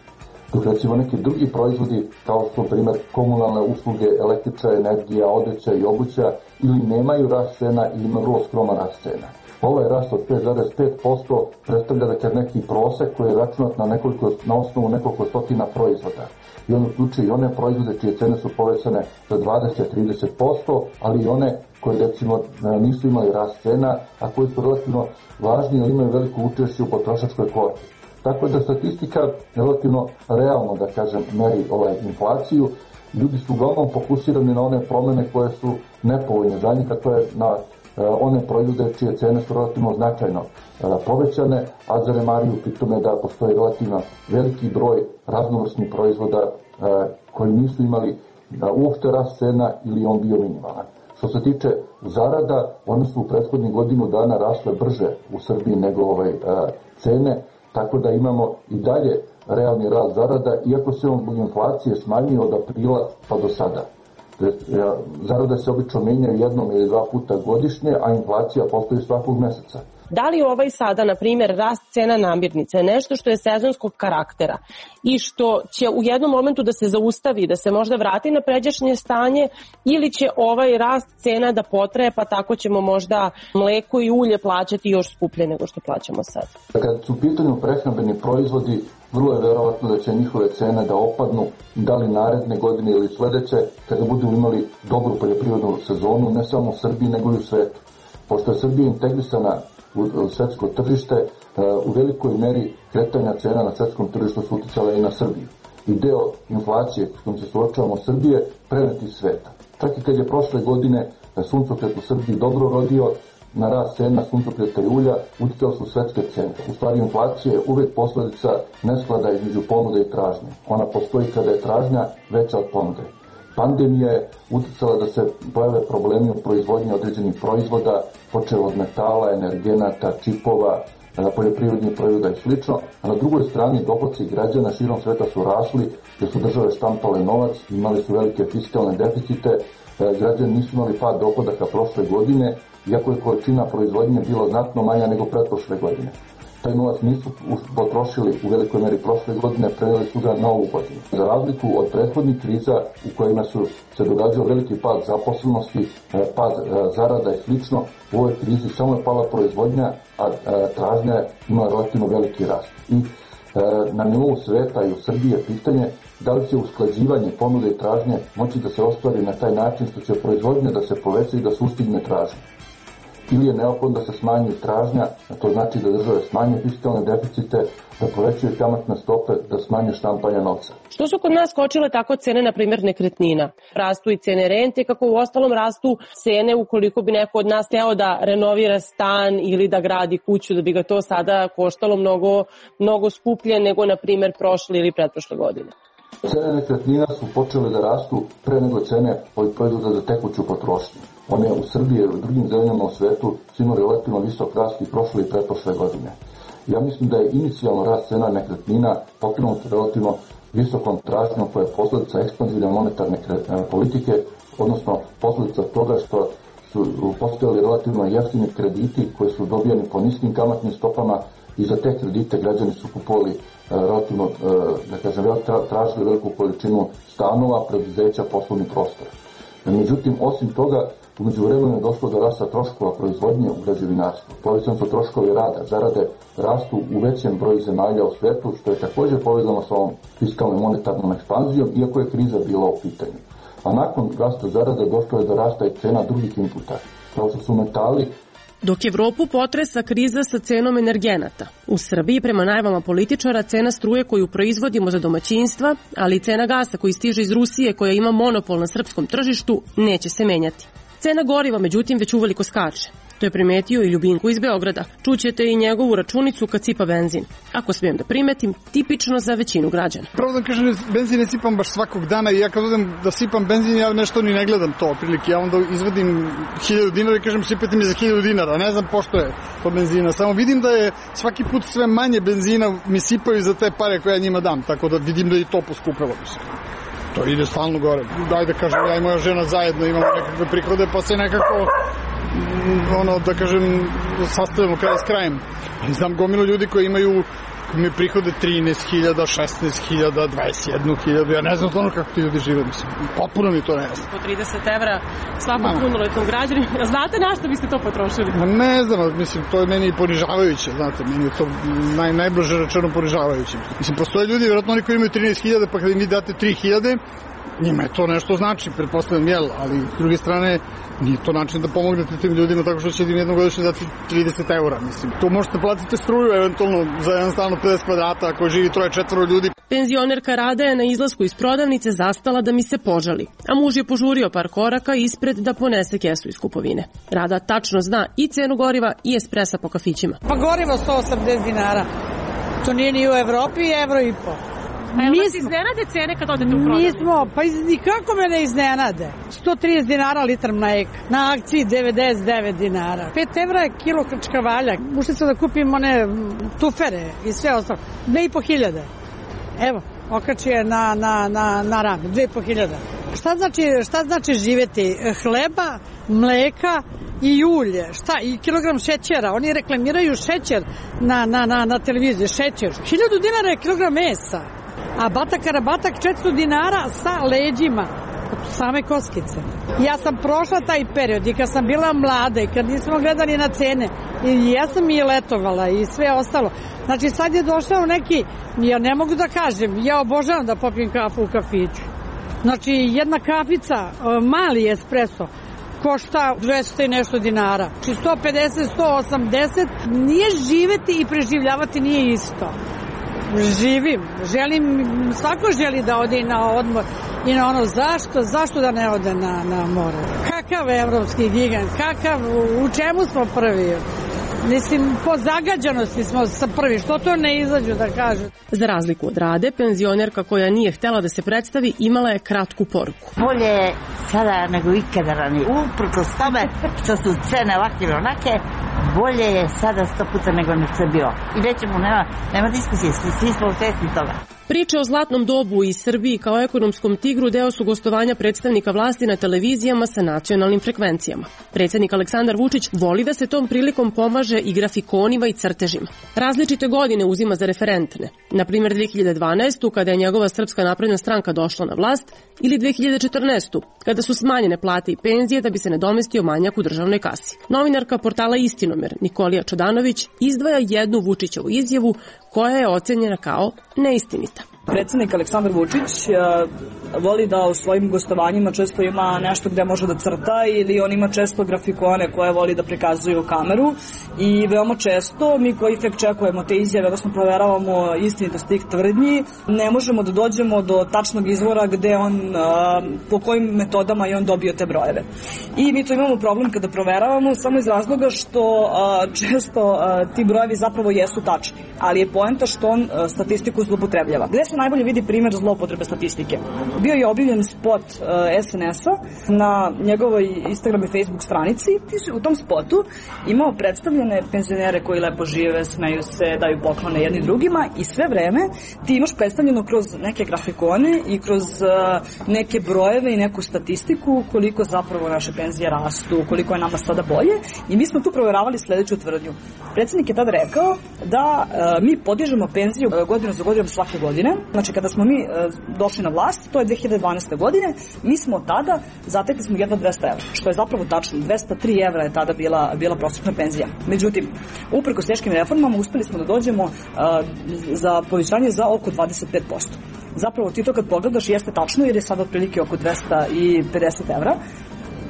Dok recimo neki drugi proizvodi kao što su primjer komunalne usluge, električna energija, odeća i obuća ili nemaju rast cena ili ima vrlo skroman rast cena. Ovaj rast od pet zarez pet posto predstavlja da je neki prosek koji je računat na, nekoliko, na osnovu nekoliko stotina proizvoda. I on uključuje i one proizvode čije cene su povećane za dvadeset do trideset posto, ali i one koje recimo nisu imali rast cena, a koji su relativno važni ili imaju veliko učešće u potrošačkoj korpi. Tako da statistika relativno realno, da kažem, meri ovaj inflaciju. Ljudi su uglavnom fokusirani na one promene koje su nepovoljne za njih, to je na one proizvode čije cene su relativno značajno povećane, a zanemaruju pri tome da postoji relativno veliki broj raznovrsnih proizvoda koji nisu imali uopšte rast cena ili on bio minimalan. Što se tiče zarada, one su u prethodnih godinu dana rasle brže u Srbiji nego ovaj cene, tako da imamo i dalje realni rast zarada, iako se on zbog inflacije smanjio od aprila pa do sada. Zarada se obično menjaju jednom ili dva puta godišnje, a inflacija postoji svakog meseca. Da li ovaj sada, na primjer, rast cena namirnica je nešto što je sezonskog karaktera i što će u jednom momentu da se zaustavi, da se možda vrati na pređašnje stanje, ili će ovaj rast cena da potraje, pa tako ćemo možda mleko i ulje plaćati još skuplje nego što plaćamo sad? Kad su u pitanju prehrambeni proizvodi, vrlo je verovatno da će njihove cene da opadnu, da li naredne godine ili sledeće, kada budu imali dobru poljoprivrednu sezonu, ne samo u Srbiji nego i u svetu. Pošto je Srbija integrisana u svetsko tržište, u velikoj meri kretanja cena na svetskom tržištu su uticala i na Srbiju. I deo inflacije s kojom se suočavamo Srbije preneti sveta. Čak i kad je prošle godine suncokret u Srbiji dobro rodio, na rast cena suncokreta i ulja uticale su svetske cene. U stvari inflacija je uvek posledica nesklada između ponude i tražnje. Ona postoji kada je tražnja veća od ponude. Pandemija je uticala da se pojave problemi u proizvodnji određenih proizvoda, počeo od metala, energenata, čipova, poljoprivrednih proizvoda i slično, a na drugoj strani dohoci građana širom sveta su rasli, jer su države štampale novac, imali su velike fiskalne deficite, građani nisu imali pad dohodaka prošle godine, iako je količina proizvodnje bila znatno manja nego pretprošle godine. Taj novac nisu potrošili u velikoj meri prošle godine, preneli su ga na ovu godinu. Za razliku od prethodnih kriza u kojima su se događao veliki pad zaposlenosti, pad zarada i slično, u ovoj krizi samo je pala proizvodnja, a tražnja je imala relativno veliki rast. I na nivou sveta i u Srbiji je pitanje da li će usklađivanje ponude i tražnje moći da se ostvari na taj način što će proizvodnja da se poveća i da sustigne tražnje. Ili je neophodno da se smanji tražnja, a to znači da države smanje fiskalne deficite, da povećaju kamatne stope, da smanje štampanje novca. Što su kod nas skočile tako cene, na primjer, nekretnina? Rastu i cene rente, kako u ostalom rastu cene ukoliko bi neko od nas hteo da renovira stan ili da gradi kuću, da bi ga to sada koštalo mnogo, mnogo skuplje nego, na primjer, prošle ili pretprošle godine. Cene nekretnina su počele da rastu pre nego cene ovih proizvoda za tekuću potrošnju. One u Srbiji i u drugim zemljama u svetu su imali relativno visok rast i prošle i pretprošle godine. Ja mislim da je inicijalno rast cena nekretnina pokrenut relativno visokom tražnjom koja je posljedica ekspanzivne monetarne politike, odnosno posljedica toga što su postojali relativno jeftini krediti koji su dobijani po niskim kamatnim stopama i za te kredite građani su kupovali relativno, da kažem, tražili veliku količinu stanova, preduzeća, poslovni prostor. Međutim, osim toga, umeđu vremenu je došlo do rasta troškova proizvodnje u građevinarstvu. Povećani su troškovi rada, zarade rastu u većem broju zemalja u svetu, što je također povezano sa ovom fiskalnom monetarnom ekspanzijom, iako je kriza bila u pitanju. A nakon rasta zarade došlo je do rasta i cena drugih inputa, kao što su metali. Dok Evropu potresa kriza sa cenom energenata, u Srbiji prema najavama političara cena struje koju proizvodimo za domaćinstva, ali i cena gasa koji stiže iz Rusije koja ima monopol na srpskom tržištu, neće se menjati. Cena goriva, međutim, već uveliko skače. To je primetio i Ljubinko iz Beograda. Čućete i njegovu računicu kad sipa benzin. Ako smijem da primetim, tipično za većinu građana. Pravo da kažem, benzin ne sipam baš svakog dana i ja kad odem da sipam benzin, ja nešto ni ne gledam to otprilike. Ja onda izvadim hiljadu dinara i kažem sipajte mi za hiljadu dinara. Ne znam pošto je to benzina. Samo vidim da je svaki put sve manje benzina mi sipaju za te pare koje ja njima dam. Tako da vidim da i to poskupilo. To ide stalno gore. Daj da kažem, ja i moja žena zajedno imamo nekakve prihode, pa se nekako, ono, da kažem, sastavljamo kraj s krajem. Ali znam gomilu ljudi koji imaju mi prihode trinaest hiljada, šesnaest hiljada, dvadeset jednu hiljadu, ja ne znam ono kako ti ljudi žive, mislim, potpuno mi to ne znam. Po trideset evra svakom punoletnom građaninu, znate na što biste to potrošili? Ne znam, mislim, to je meni ponižavajuće, znate, meni je to naj, najbliže rečeno ponižavajuće. Mislim, postoje ljudi, vjerojatno oni koji imaju trinaest hiljada, pa kada im vi date tri hiljade, njima je to nešto znači, pretpostavljam, jel, ali s druge strane nije to način da pomognete tim ljudima tako što će im jednogodišnje dati trideset eura, mislim. To možete platiti struju, eventualno za jedan stan od pedeset kvadrata ako živi troje četvoro ljudi. Penzionerka Rada je na izlasku iz prodavnice zastala da mi se požali, a muž je požurio par koraka ispred da ponese kesu iz kupovine. Rada tačno zna i cenu goriva i espresa po kafićima. Pa gorivo sto osamdeset dinara, to nije ni u Evropi, evro i po. A jel vas iznenade cene kad odete u prodavnicu? Nismo, pa nikako me ne iznenade. sto trideset dinara litar mleka, na akciji devedeset devet dinara. pet evra je kilo krčkavalja. Ušli smo da kupimo one tufere i sve ostalo. dve i po hiljade. Evo, okači je na, na, na, na rame, dve i po hiljade. Šta znači, šta znači živjeti? Hleba, mleka i ulje, šta, i kilogram šećera. Oni reklamiraju šećer na, na, na, na televiziji, šećer. Hiljadu dinara je kilogram mesa. A batak karabatak četiristo dinara sa leđima, same koskice. Ja sam prošla taj period i kad sam bila mlada i kad nismo gledali na cene, i ja sam i letovala i sve ostalo. Znači sad je došao neki, ja ne mogu da kažem, ja obožavam da popijem kafu u kafiću. Znači jedna kafica, mali espresso, košta dvesta i nešto dinara. Znači sto pedeset, sto osamdeset, nije živeti i preživljavati nije isto. Živim, želim, svako želi da ode i na odmor i na ono zašto, zašto da ne ode na, na more. Kakav evropski gigant, kakav, u čemu smo prvi? Mislim, po zagađanosti smo sa prvi, što to ne izađu da kažu. Za razliku od Rade, penzionerka koja nije htela da se predstavi imala je kratku poruku. Bolje je sada nego ikada ranije. Uprkos tome što su cene ovakve ili onake, bolje je sada sto puta nego što je bilo. I nećemo, nema, nema diskusije, svi smo svesni toga. Priče o zlatnom dobu i Srbiji kao ekonomskom tigru deo su gostovanja predstavnika vlasti na televizijama sa nacionalnim frekvencijama. Predsjednik Aleksandar Vučić voli da se tom prilikom pomaže i grafikonima i crtežima. Različite godine uzima za referentne. Na primjer dve hiljade dvanaeste. kada je njegova Srpska napredna stranka došla na vlast ili dve hiljade četrnaeste. kada su smanjene plate i penzije da bi se nadomestio manjak u državnoj kasi. Novinarka portala Istinomer Nikolija Čodanović izdvaja jednu Vučićevu izjavu koja je ocenjena kao neistinita. Predsjednik Aleksandar Vučić voli da u svojim gostovanjima često ima nešto gde može da crta ili on ima često grafikone koje voli da prikazuju u kameru i veoma često mi koji fact checkujemo te izjave, odnosno proveravamo istinitost tih tvrdnji, ne možemo da dođemo do tačnog izvora gde on, po kojim metodama je on dobio te brojeve. I mi to imamo problem kada proveravamo samo iz razloga što često ti brojevi zapravo jesu tačni, ali je poenta što on statistiku zloupotrebljava. Gde se najbolje vidi primjer zloupotrebe statistike. Bio je objavljen spot uh, S N S-a na njegovoj Instagram i Facebook stranici. U tom spotu imao predstavljene penzionere koji lepo žive, smeju se, daju poklone jedni drugima i sve vreme ti imaš predstavljeno kroz neke grafikone i kroz uh, neke brojeve i neku statistiku koliko zapravo naše penzije rastu, koliko je nama sada bolje i mi smo tu provjeravali sledeću tvrdnju. Predsjednik je tada rekao da uh, mi podižemo penziju uh, godinu za godinom svake godine. Znači kada smo mi uh, došli na vlast, to je dve hiljade dvanaeste. godine, mi smo tada zatekli smo jedva dvesta evra, što je zapravo tačno. dvesta tri evra je tada bila, bila prosječna penzija. Međutim, uprkos teškim reformama uspeli smo da dođemo uh, za povećanje za oko dvadeset pet posto. Zapravo ti to kad pogledaš jeste tačno jer je sada otprilike oko dvesta pedeset evra.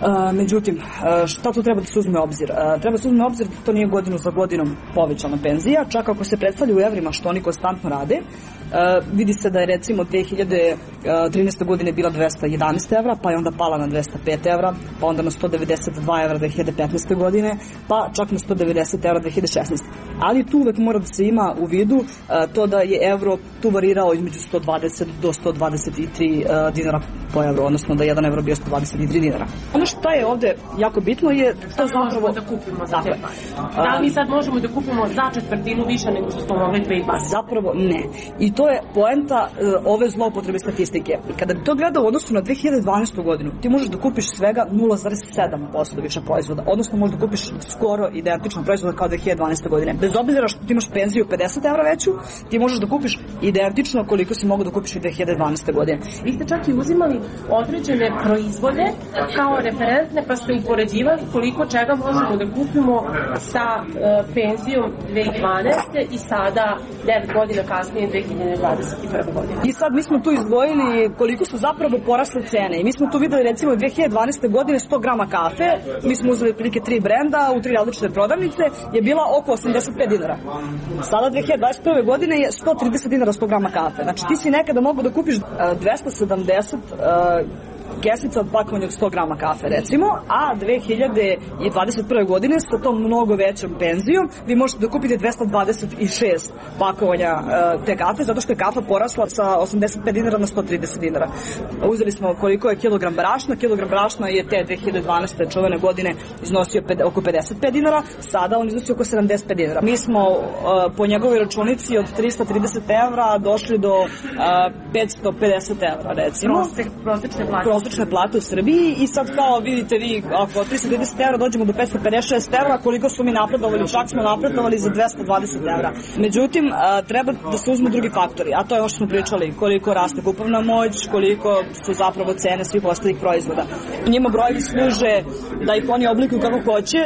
Uh, međutim, uh, šta tu treba da se uzme u obzir? Uh, treba da se uzme u obzir da to nije godinu za godinom povećana penzija, čak ako se predstavlja u evrima što oni konstantno rade. Uh, vidi se da je recimo dve hiljade trinaeste. godine bila dvesta jedanaest evra, pa je onda pala na dvesta pet evra, pa onda na sto devedeset dva evra dve hiljade petnaeste. godine, pa čak na sto devedeset evra dve hiljade šesnaeste. Ali tu uvek mora da se ima u vidu uh, to da je evro tu varirao između sto dvadeset do sto dvadeset tri uh, dinara po evru, odnosno da je jedan evro bio sto dvadeset tri dinara. Ono što je ovde jako bitno je to zapravo da kupimo za te pare. Da li mi sad možemo da kupimo za četvrtinu više nego što smo mogli pre i pare? Zapravo ne. I to je poenta uh, ove zloupotrebe statistike. Kada bi to gledao u odnosu na dve hiljade dvanaestu. godinu, ti možeš da kupiš svega nula zarez sedam posto više proizvoda, odnosno možeš da kupiš skoro identično proizvoda kao dve hiljade dvanaeste. godine. Bez obzira što ti imaš penziju pedeset evra veću, ti možeš da kupiš identično koliko si mogao da kupiš i dve hiljade dvanaeste. godine. Vi ste čak i uzimali određene proizvode kao referentne, pa ste upoređivali koliko čega možemo da kupimo sa uh, penzijom dve hiljade dvanaeste. i sada devet godina kasnije dve hiljade dvadeset prve. godine. I sad mi smo tu izdvojili koliko su zapravo porasle cene i mi smo tu videli recimo dve hiljade dvanaeste. godine sto grama kafe, mi smo uzeli prilike tri brenda u tri različite prodavnice, je bila oko osamdeset pet dinara. Sada dve hiljade dvadeset prve. godine je sto trideset dinara sto grama kafe. Znači ti si nekada mogu da kupiš uh, dvesta sedamdeset uh, kesica od pakovanja od sto grama kafe recimo, a dve hiljade dvadeset prve. godine sa tom mnogo većom penzijom vi možete da kupite dvesta dvadeset šest pakovanja uh, te kafe, zato što je kafa porasla sa osamdeset pet dinara na sto trideset dinara. Uzeli smo koliko je kilogram brašna, kilogram brašna je te dve hiljade dvanaeste. čuvene godine iznosio pet, oko pedeset pet dinara, sada on iznosi oko sedamdeset pet dinara. Mi smo uh, po njegovoj računici od trista trideset evra došli do uh, petsto pedeset evra recimo. Prosek, prosečne plate. prosečne plate u Srbiji i sad kao vidite vi ako od trista trideset evra dođemo do petsto pedeset šest evra, koliko smo mi napredovali, čak smo napredovali za dvesta dvadeset evra. Međutim, a, treba da se uzmu drugi faktori, a to je ono što smo pričali, koliko raste kupovna moć, koliko su zapravo cene svih ostalih proizvoda. Njima brojevi služe da ih oni oblikuju kako hoće.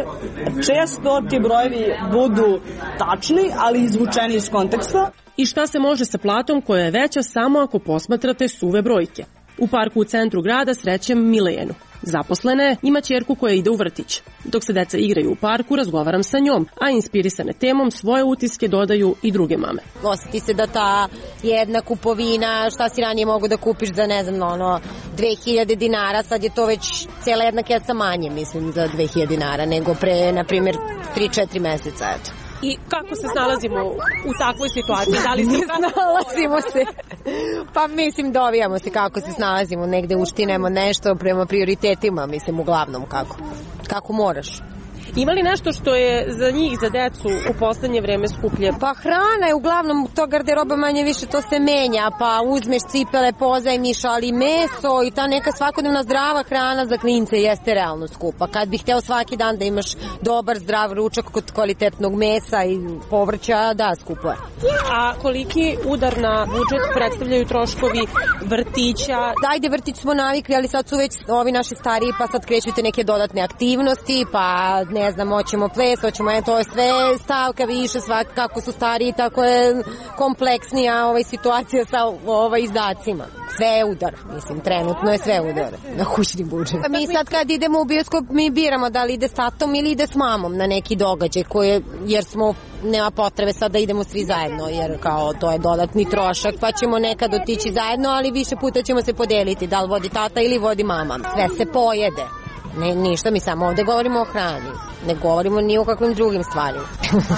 Često ti brojevi budu tačni, ali izvučeni iz konteksta. I šta se može sa platom koja je veća samo ako posmatrate suve brojke? U parku u centru grada srećem Milenu. Zaposlena je, ima ćerku koja ide u vrtić. Dok se deca igraju u parku, razgovaram sa njom, a inspirisane temom svoje utiske dodaju i druge mame. Osjeti se da ta jedna kupovina, šta si ranije mogu da kupiš za, ne znam, ono, dve hiljade dinara, sad je to već cijela jedna keca manje, mislim, za dve hiljade dinara, nego pre, na primjer, tri četiri meseca, eto. I kako se snalazimo u takvoj situaciji? Da li se snalazimo se? Pa mislim dovijamo se kako se snalazimo, negde uštinemo nešto prema prioritetima, mislim uglavnom kako. Kako moraš. Ima li nešto što je za njih, za decu, u poslednje vreme skuplje? Pa hrana je uglavnom, to garderoba manje više, to se menja, pa uzmeš cipele, pozajmiš, ali meso i ta neka svakodnevna zdrava hrana za klince jeste realno skupa. Kad bih hteo svaki dan da imaš dobar, zdrav ručak kod kvalitetnog mesa i povrća, da, skupo je. A koliki udar na budžet predstavljaju troškovi vrtića? Ajde, vrtić smo navikli, ali sad su već ovi naši stariji, pa sad krećute neke dodatne aktivnosti, pa ne znam, hoćemo ples, hoćemo, je, to je sve stavka više, svak, kako su stariji, tako je kompleksnija ovaj, situacija sa ovaj, izdacima. Sve je udar, mislim, trenutno je sve udar na kućni budžet. Mi sad kad idemo u bioskop, mi biramo da li ide s tatom ili ide s mamom na neki događaj, koje, jer smo, nema potrebe sad da idemo svi zajedno, jer kao to je dodatni trošak, pa ćemo nekad otići zajedno, ali više puta ćemo se podeliti, da li vodi tata ili vodi mama. Sve se pojede. Ne, ništa, mi samo ovde govorimo o hrani. Ne govorimo ni o kakvim drugim stvarima.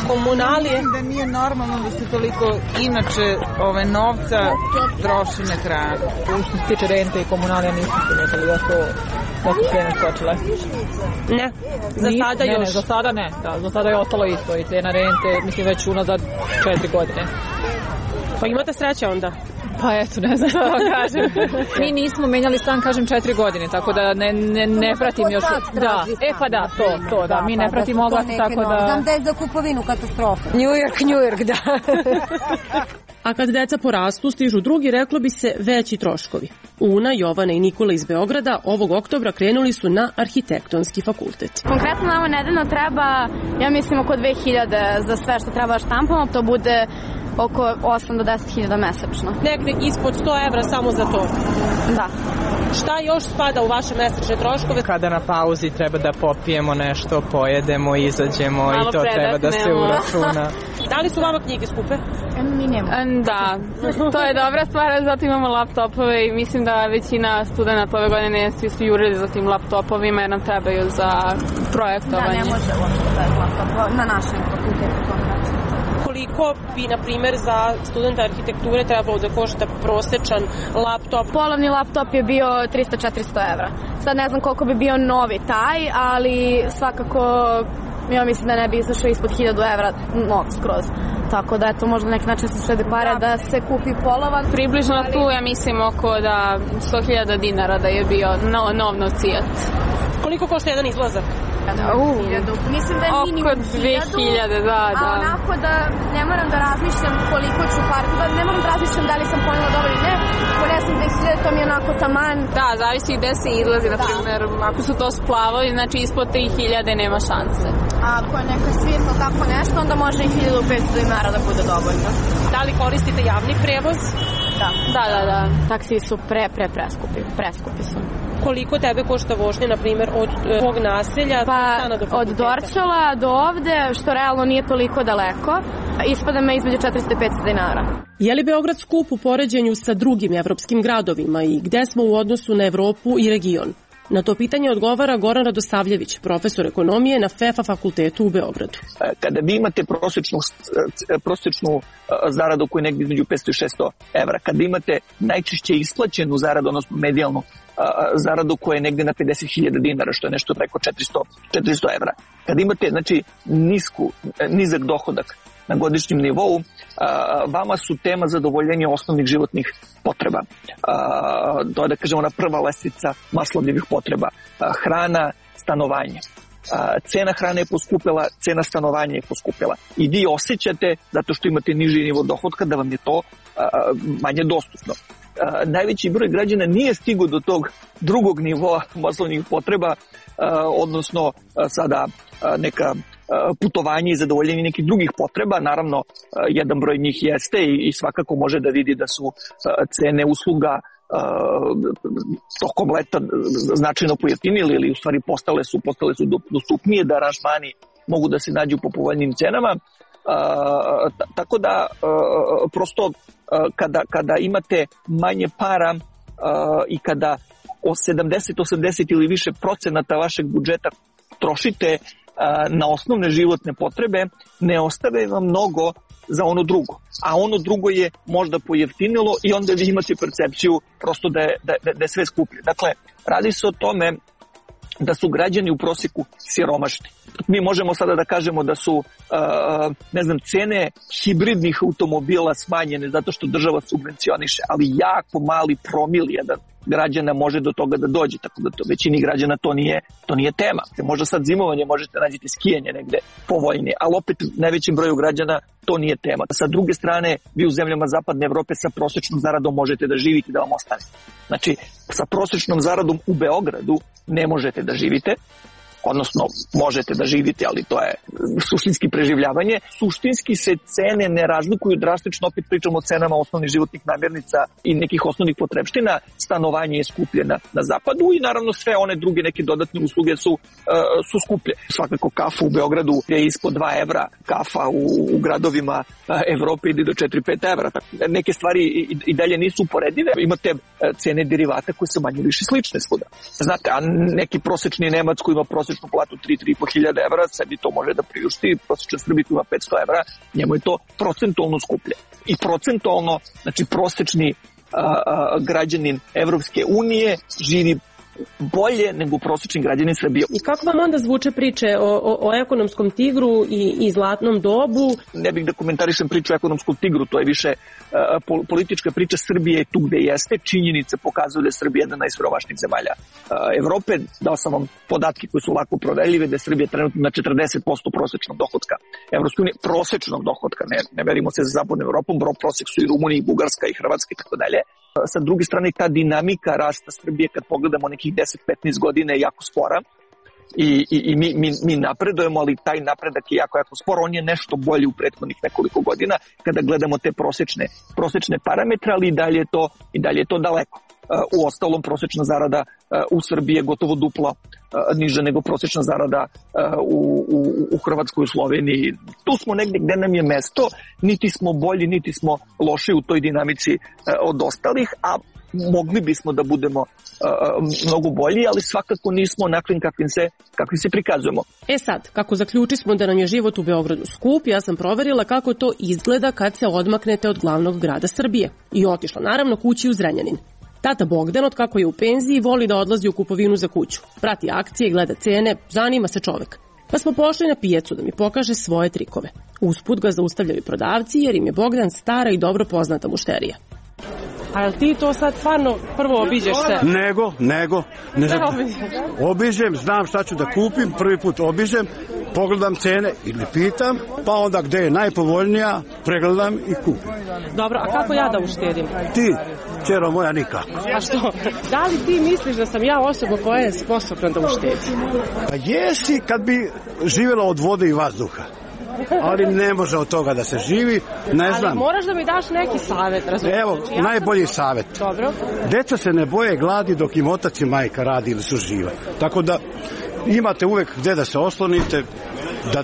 Komunalije? Da nije normalno da se toliko inače ove novca troši na hranu. Što se tiče rente i komunalija nisam primetili da su da su cene skočile. Ne, za Nis, sada ne, još. Ne, za sada ne, da, za sada je ostalo isto i cena rente, mislim već unazad četiri godine. Pa imate sreće onda? Pa eto, ne znam što vam kažem. Mi nismo menjali stan, kažem, četiri godine, tako da ne, ne, ne pratim još. Da, e pa da, to, to, da, mi ne pratimo oglas, tako da... Znam da je za kupovinu katastrofa. New York, New York, da. A kad deca porastu, stižu drugi, reklo bi se, veći troškovi. Una, Jovana i Nikola iz Beograda ovog oktobra krenuli su na arhitektonski fakultet. Konkretno nama nedeljno treba, ja mislim, oko dve hiljade za sve što treba štampamo, to bude oko osam do deset hiljada mesečno. Negde ispod sto evra samo za to? Da. Šta još spada u vaše mesečne troškove? Kada na pauzi treba da popijemo nešto, pojedemo, izađemo. Malo i to treba da se uračuna. Da li su vama knjige skupe? Mi nemamo. Da, to je dobra stvar, zato imamo laptopove i mislim da većina studenta ove godine svi su jurili za tim laptopovima jer nam trebaju za projektovanje. Da, ne može uopšte bez laptopa na našem fakultetu. Koliko bi, na primjer, za studenta arhitekture trebalo da košta prosečan laptop? Polovni laptop je bio trista do četiristo evra. Sad ne znam koliko bi bio novi taj, ali svakako ja mislim da ne bi izašao ispod hiljadu evra nov skroz. Tako da eto, možda neki način se štede pare da. da se kupi polovan. Približno ali... tu ja mislim oko da sto hiljada dinara da je bio no, nov nocijat. Koliko košta jedan izlazak? Uh, mislim da je minimum oko dve hiljade, da, da. A onako da ne moram da razmišljam koliko ću par, da ne moram da razmišljam da li sam ponela dobro ili ne, ako ne znam dve hiljade, to mi je onako taman. Da, zavisi gde se izlazi, na primjer, ako su to splavovi, znači ispod tri hiljade nema šanse. A ako je neka svirka tako nešto, onda može i hiljadu petsto dinara da bude dovoljno. Da li koristite javni prevoz? Da, da, da, da. Taksi su pre, pre preskupi, preskupi su. Koliko tebe košta vožnja, na primjer, od tvog naselja pa, do od Dorčola do ovde, što realno nije toliko daleko, ispada me između četiristo i petsto dinara. Je li Beograd skup u poređenju sa drugim evropskim gradovima i gde smo u odnosu na Evropu i region? Na to pitanje odgovara Goran Radosavljević, profesor ekonomije na F E F A fakultetu u Beogradu. Kada vi imate prosječnu, prosječnu zaradu koju je negdje između petsto i šesto evra, kada imate najčešće isplaćenu zaradu, odnosno medijalnu zaradu koja je negdje na pedeset hiljada dinara, što je nešto preko četiristo evra, kada imate znači, nisku, nizak dohodak na godišnjem nivou, vama su tema zadovoljenja osnovnih životnih potreba. To je, da kažemo, ona prva lestvica Maslovljevih potreba. Hrana, stanovanje. Cena hrane je poskupila, cena stanovanja je poskupila. I vi osjećate, zato što imate niži nivo dohodka, da vam je to manje dostupno. Najveći broj građana nije stigao do tog drugog nivoa maslovnih potreba, odnosno sada neka putovanje i zadovoljenje nekih drugih potreba. Naravno, jedan broj njih jeste i svakako može da vidi da su cene usluga tokom leta značajno pojeftinili ili u stvari postale su, postale su dostupnije, da aranžmani mogu da se nađu po povoljnim cenama. Tako da prosto kada, kada imate manje para i kada sedamdeset osamdeset ili više procenata vašeg budžeta trošite na osnovne životne potrebe, ne ostave vam mnogo za ono drugo. A ono drugo je možda pojeftinilo i onda vi imate percepciju prosto da je, da, da je sve skuplje. Dakle, radi se o tome da su građani u prosjeku siromašni. Mi možemo sada da kažemo da su uh, ne znam, cene hibridnih automobila smanjene zato što država subvencioniše, ali jako mali promil jedan građana može do toga da dođe, tako da to većini građana to nije, to nije tema. Možda sad zimovanje možete nađete skijanje negde povoljnije, ali opet najvećem broju građana to nije tema. Sa druge strane, vi u zemljama zapadne Evrope sa prosječnom zaradom možete da živite, da vam ostane. Znači, sa prosječnom zaradom u Beogradu ne možete da živite, odnosno možete da živite, ali to je suštinski preživljavanje. Suštinski se cene ne razlikuju drastično, opet pričamo o cenama osnovnih životnih namirnica i nekih osnovnih potrebština. Stanovanje je skuplje na, na zapadu i naravno sve one druge neke dodatne usluge su, uh, su skuplje. Svakako kafa u Beogradu je ispod dva evra, kafa u, u gradovima uh, Evrope ide do četiri do pet evra. Tako, neke stvari i, i dalje nisu uporedive. Imate uh, cene derivata koje su manje više slične svuda. Znate, a neki prosečni Nemac koji ima prosječnu prosječnu platu tri do tri i po hiljade evra, sebi to može da priušti, prosječan Srbi ima petsto evra, njemu je to procentualno skuplje. I procentualno, znači prosječni a, a, građanin Evropske unije živi bolje nego prosječni građanin Srbije. I kako vam onda zvuče priče o, o, o ekonomskom tigru i, i zlatnom dobu? Ne bih da komentarišem priču o ekonomskom tigru, to je više uh, politička priča. Srbije tu gde jeste, činjenice pokazuju da je Srbija jedna najsiromašnijih zemalja uh, Evrope. Dao sam vam podatke koji su lako proverljive, da je Srbija trenutno na četrdeset posto prosječnog dohotka Evropske unije, prosječnog dohotka, ne, ne verimo se za zapadnom Evropom, bro prosjek su i Rumunija, i Bugarska, i Hrvatska i tako dalje. Sa druge strane, ta dinamika rasta Srbije, kad pogledamo nekih deset do petnaest godina, je jako spora i, i, i mi, mi, mi napredujemo, ali taj napredak je jako, jako spor. On je nešto bolji u prethodnih nekoliko godina kada gledamo te prosječne, prosječne parametre, ali i dalje je to, i dalje je to daleko. U ostalom, prosječna zarada u Srbiji je gotovo duplo niža nego prosječna zarada u, u, u Hrvatskoj, u Sloveniji. Tu smo negdje gde nam je mesto, niti smo bolji, niti smo loši u toj dinamici od ostalih, a mogli bismo da budemo uh, mnogo bolji, ali svakako nismo onakvim kakvim se, kakvim se prikazujemo. E sad, kako zaključismo da nam je život u Beogradu skup, ja sam proverila kako to izgleda kad se odmaknete od glavnog grada Srbije. I otišla naravno kući u Zrenjanin. Tata Bogdan, od kako je u penziji, voli da odlazi u kupovinu za kuću. Prati akcije, gleda cene, zanima se čovek. Pa smo pošli na pijacu da mi pokaže svoje trikove. Usput ga zaustavljaju prodavci jer im je Bogdan stara i dobro poznata mušterija. A jel ti to sad stvarno prvo obiđeš se? Nego, nego. Ne znam, obiđem, znam šta ću da kupim, prvi put obiđem, pogledam cene ili pitam, pa onda gde je najpovoljnija, pregledam i kupim. Dobro, a kako ja da uštedim? Ti, čero moja, nikako. A što? Da li ti misliš da sam ja osoba koja je sposobna da uštedi? Pa jesi kad bi živjela od vode i vazduha. Ali ne može od toga da se živi, ne znam. Ali moraš da mi daš neki savjet, razumiješ? Evo, znači, ja najbolji sam... savjet. Dobro. Deca se ne boje gladi dok im otac i majka radi ili su živa. Tako da imate uvek gde da se oslonite, da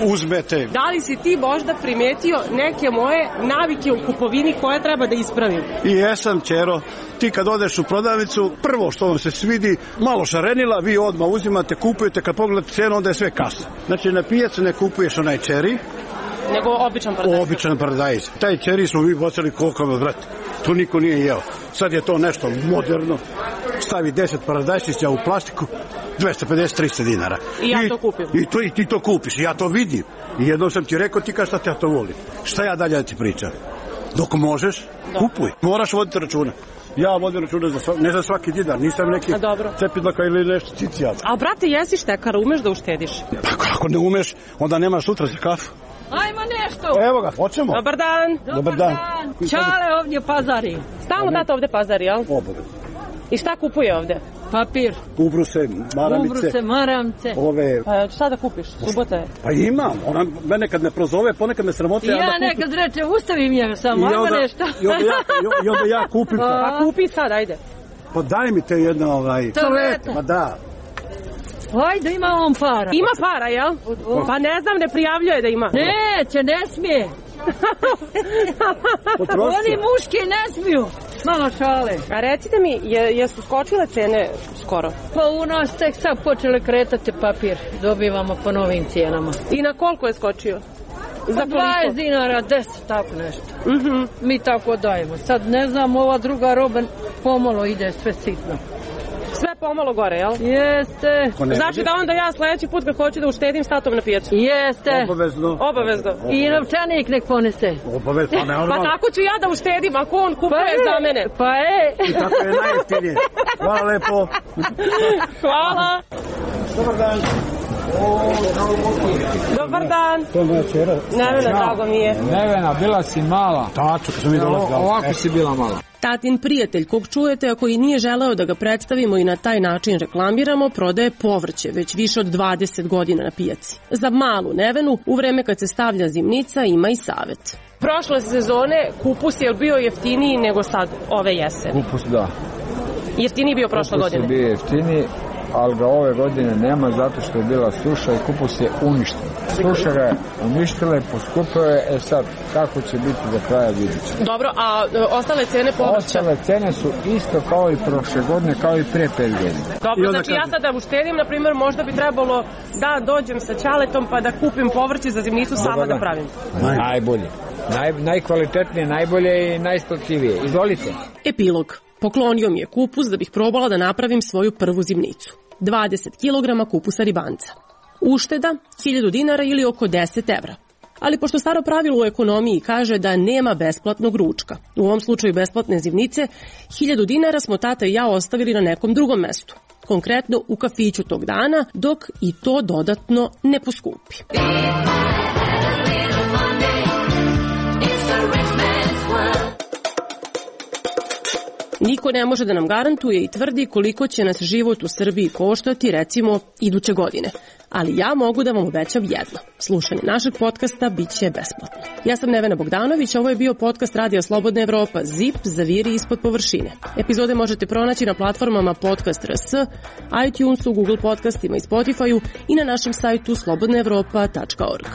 uzmete. Da li si ti možda primetio neke moje navike u kupovini koje treba da ispravim? I jesam, čero. Ti kad odeš u prodavnicu, prvo što vam se svidi, malo šarenila, vi odmah uzimate, kupujete, kad pogledate cenu, onda je sve kasa. Znači, na pijacu ne kupuješ onaj čeri, nego običan paradajz. Običan paradajz. Taj čeri smo mi bocali koliko me, brate. Tu niko nije jeo. Sad je to nešto moderno. Stavi deset paradajčića u plastiku, dvesta pedeset do trista dinara. I ja I, to kupim. I, to, I ti to kupiš, i ja to vidim. I jednom sam ti rekao, ti kažeš šta ja to volim. Šta ja dalje da ti pričam? Dok možeš, da. Kupuj. Moraš voditi računa. Ja vodim računa za svaki, ne za svaki dinar, nisam neki cepidlaka ili nešto cicijal. A brate, jesi štekar, umeš da uštediš? Pa kako ne umeš, onda nemaš sutra za kafu. Ajmo nešto. Evo ga, hoćemo. Dobar dan. Dobar, Dobar dan. dan. Čale ovdje pazari. Stalno tata ovdje pazari, jel? Obavezno. I šta kupuje ovdje? Papir. Ubruse, maramice. Ubruse, maramce. Ove... Pa šta da kupiš? Subota je. Pa imam. Ona mene kad me prozove, ponekad me sramote. Ja, ja nekad kupim. Reče, ustavim ja samo, ajmo nešto. I onda ja, i onda ja kupim. Pa kupi sad, ajde. Pa daj mi te jedna ovaj... Toaleta. Ma da. Ajde, ima on para. Ima para, jel? Pa ne znam, ne prijavljuje da ima. Neće, ne smije. Oni muški ne smiju. Malo šale. A recite mi, je, jesu skočile cene skoro? Pa u nas tek sad počele kretati papir. Dobivamo po novim cijenama. I na koliko je skočio? Za dvadeset dinara, deset, tako nešto. Mm-hmm. Mi tako dajemo. Sad ne znam, ova druga roba pomalo ide sve sitno. Sve pomalo gore, jel? Jeste. Znači da onda ja sljedeći put kad hoću da uštedim statom na pijacu? Jeste. Obavezno. Obavezno. I novčanik nek ponese. Obavezno, pa ne Pa tako ću ja da uštedim ako on kupuje pa za mene. Pa e. I tako je najjeftinije. Hvala lepo. Hvala. Dobar dan. Dobar dan. To je moja čera. Nevena, drago mi je. Nevena, bila si mala. Tačno, kad sam mi dolazila. Ovako si bila mala. Tatin prijatelj, kog čujete, a koji nije želeo da ga predstavimo i na taj način reklamiramo, prodaje povrće već više od dvadeset godina na pijaci. Za malu Nevenu, u vreme kad se stavlja zimnica, ima i savet. Prošle sezone kupus je bio jeftiniji nego sad ove jeseni. Kupus, da. Jeftiniji bio prošle kupus godine? Kupus je bio jeftiniji, ali ga ove godine nema zato što je bila suša i kupus je uništen. Suša ga je uništila i poskupila je, e sad, kako će biti do kraja vidjet ćemo. Dobro, a e, ostale cene povrća? Ostale cene su isto kao i prošle godine, kao i pre pet godina. Dobro, znači ja sad da uštedim, na primjer, možda bi trebalo da dođem sa ćaletom pa da kupim povrće za zimnicu sama da pravim. Najbolje. Naj, najkvalitetnije, najbolje i najisplativije. Izvolite. Epilog. Poklonio mi je kupus da bih probala da napravim svoju prvu zimnicu. dvadeset kilograma kupusa ribanca. Ušteda hiljadu dinara ili oko deset evra. Ali pošto staro pravilo u ekonomiji kaže da nema besplatnog ručka, u ovom slučaju besplatne zimnice, hiljadu dinara smo tata i ja ostavili na nekom drugom mestu. Konkretno u kafiću tog dana, dok i to dodatno ne poskupi. Niko ne može da nam garantuje i tvrdi koliko će nas život u Srbiji koštati, recimo, iduće godine. Ali ja mogu da vam obećam jedno. Slušanje našeg podcasta bit će besplatno. Ja sam Nevena Bogdanović, ovo je bio podcast Radija Slobodna Evropa, Zip, zaviri ispod površine. Epizode možete pronaći na platformama Podcast R S, iTunesu, Google podcastima i Spotifyu i na našem sajtu slobodna evropa tačka org.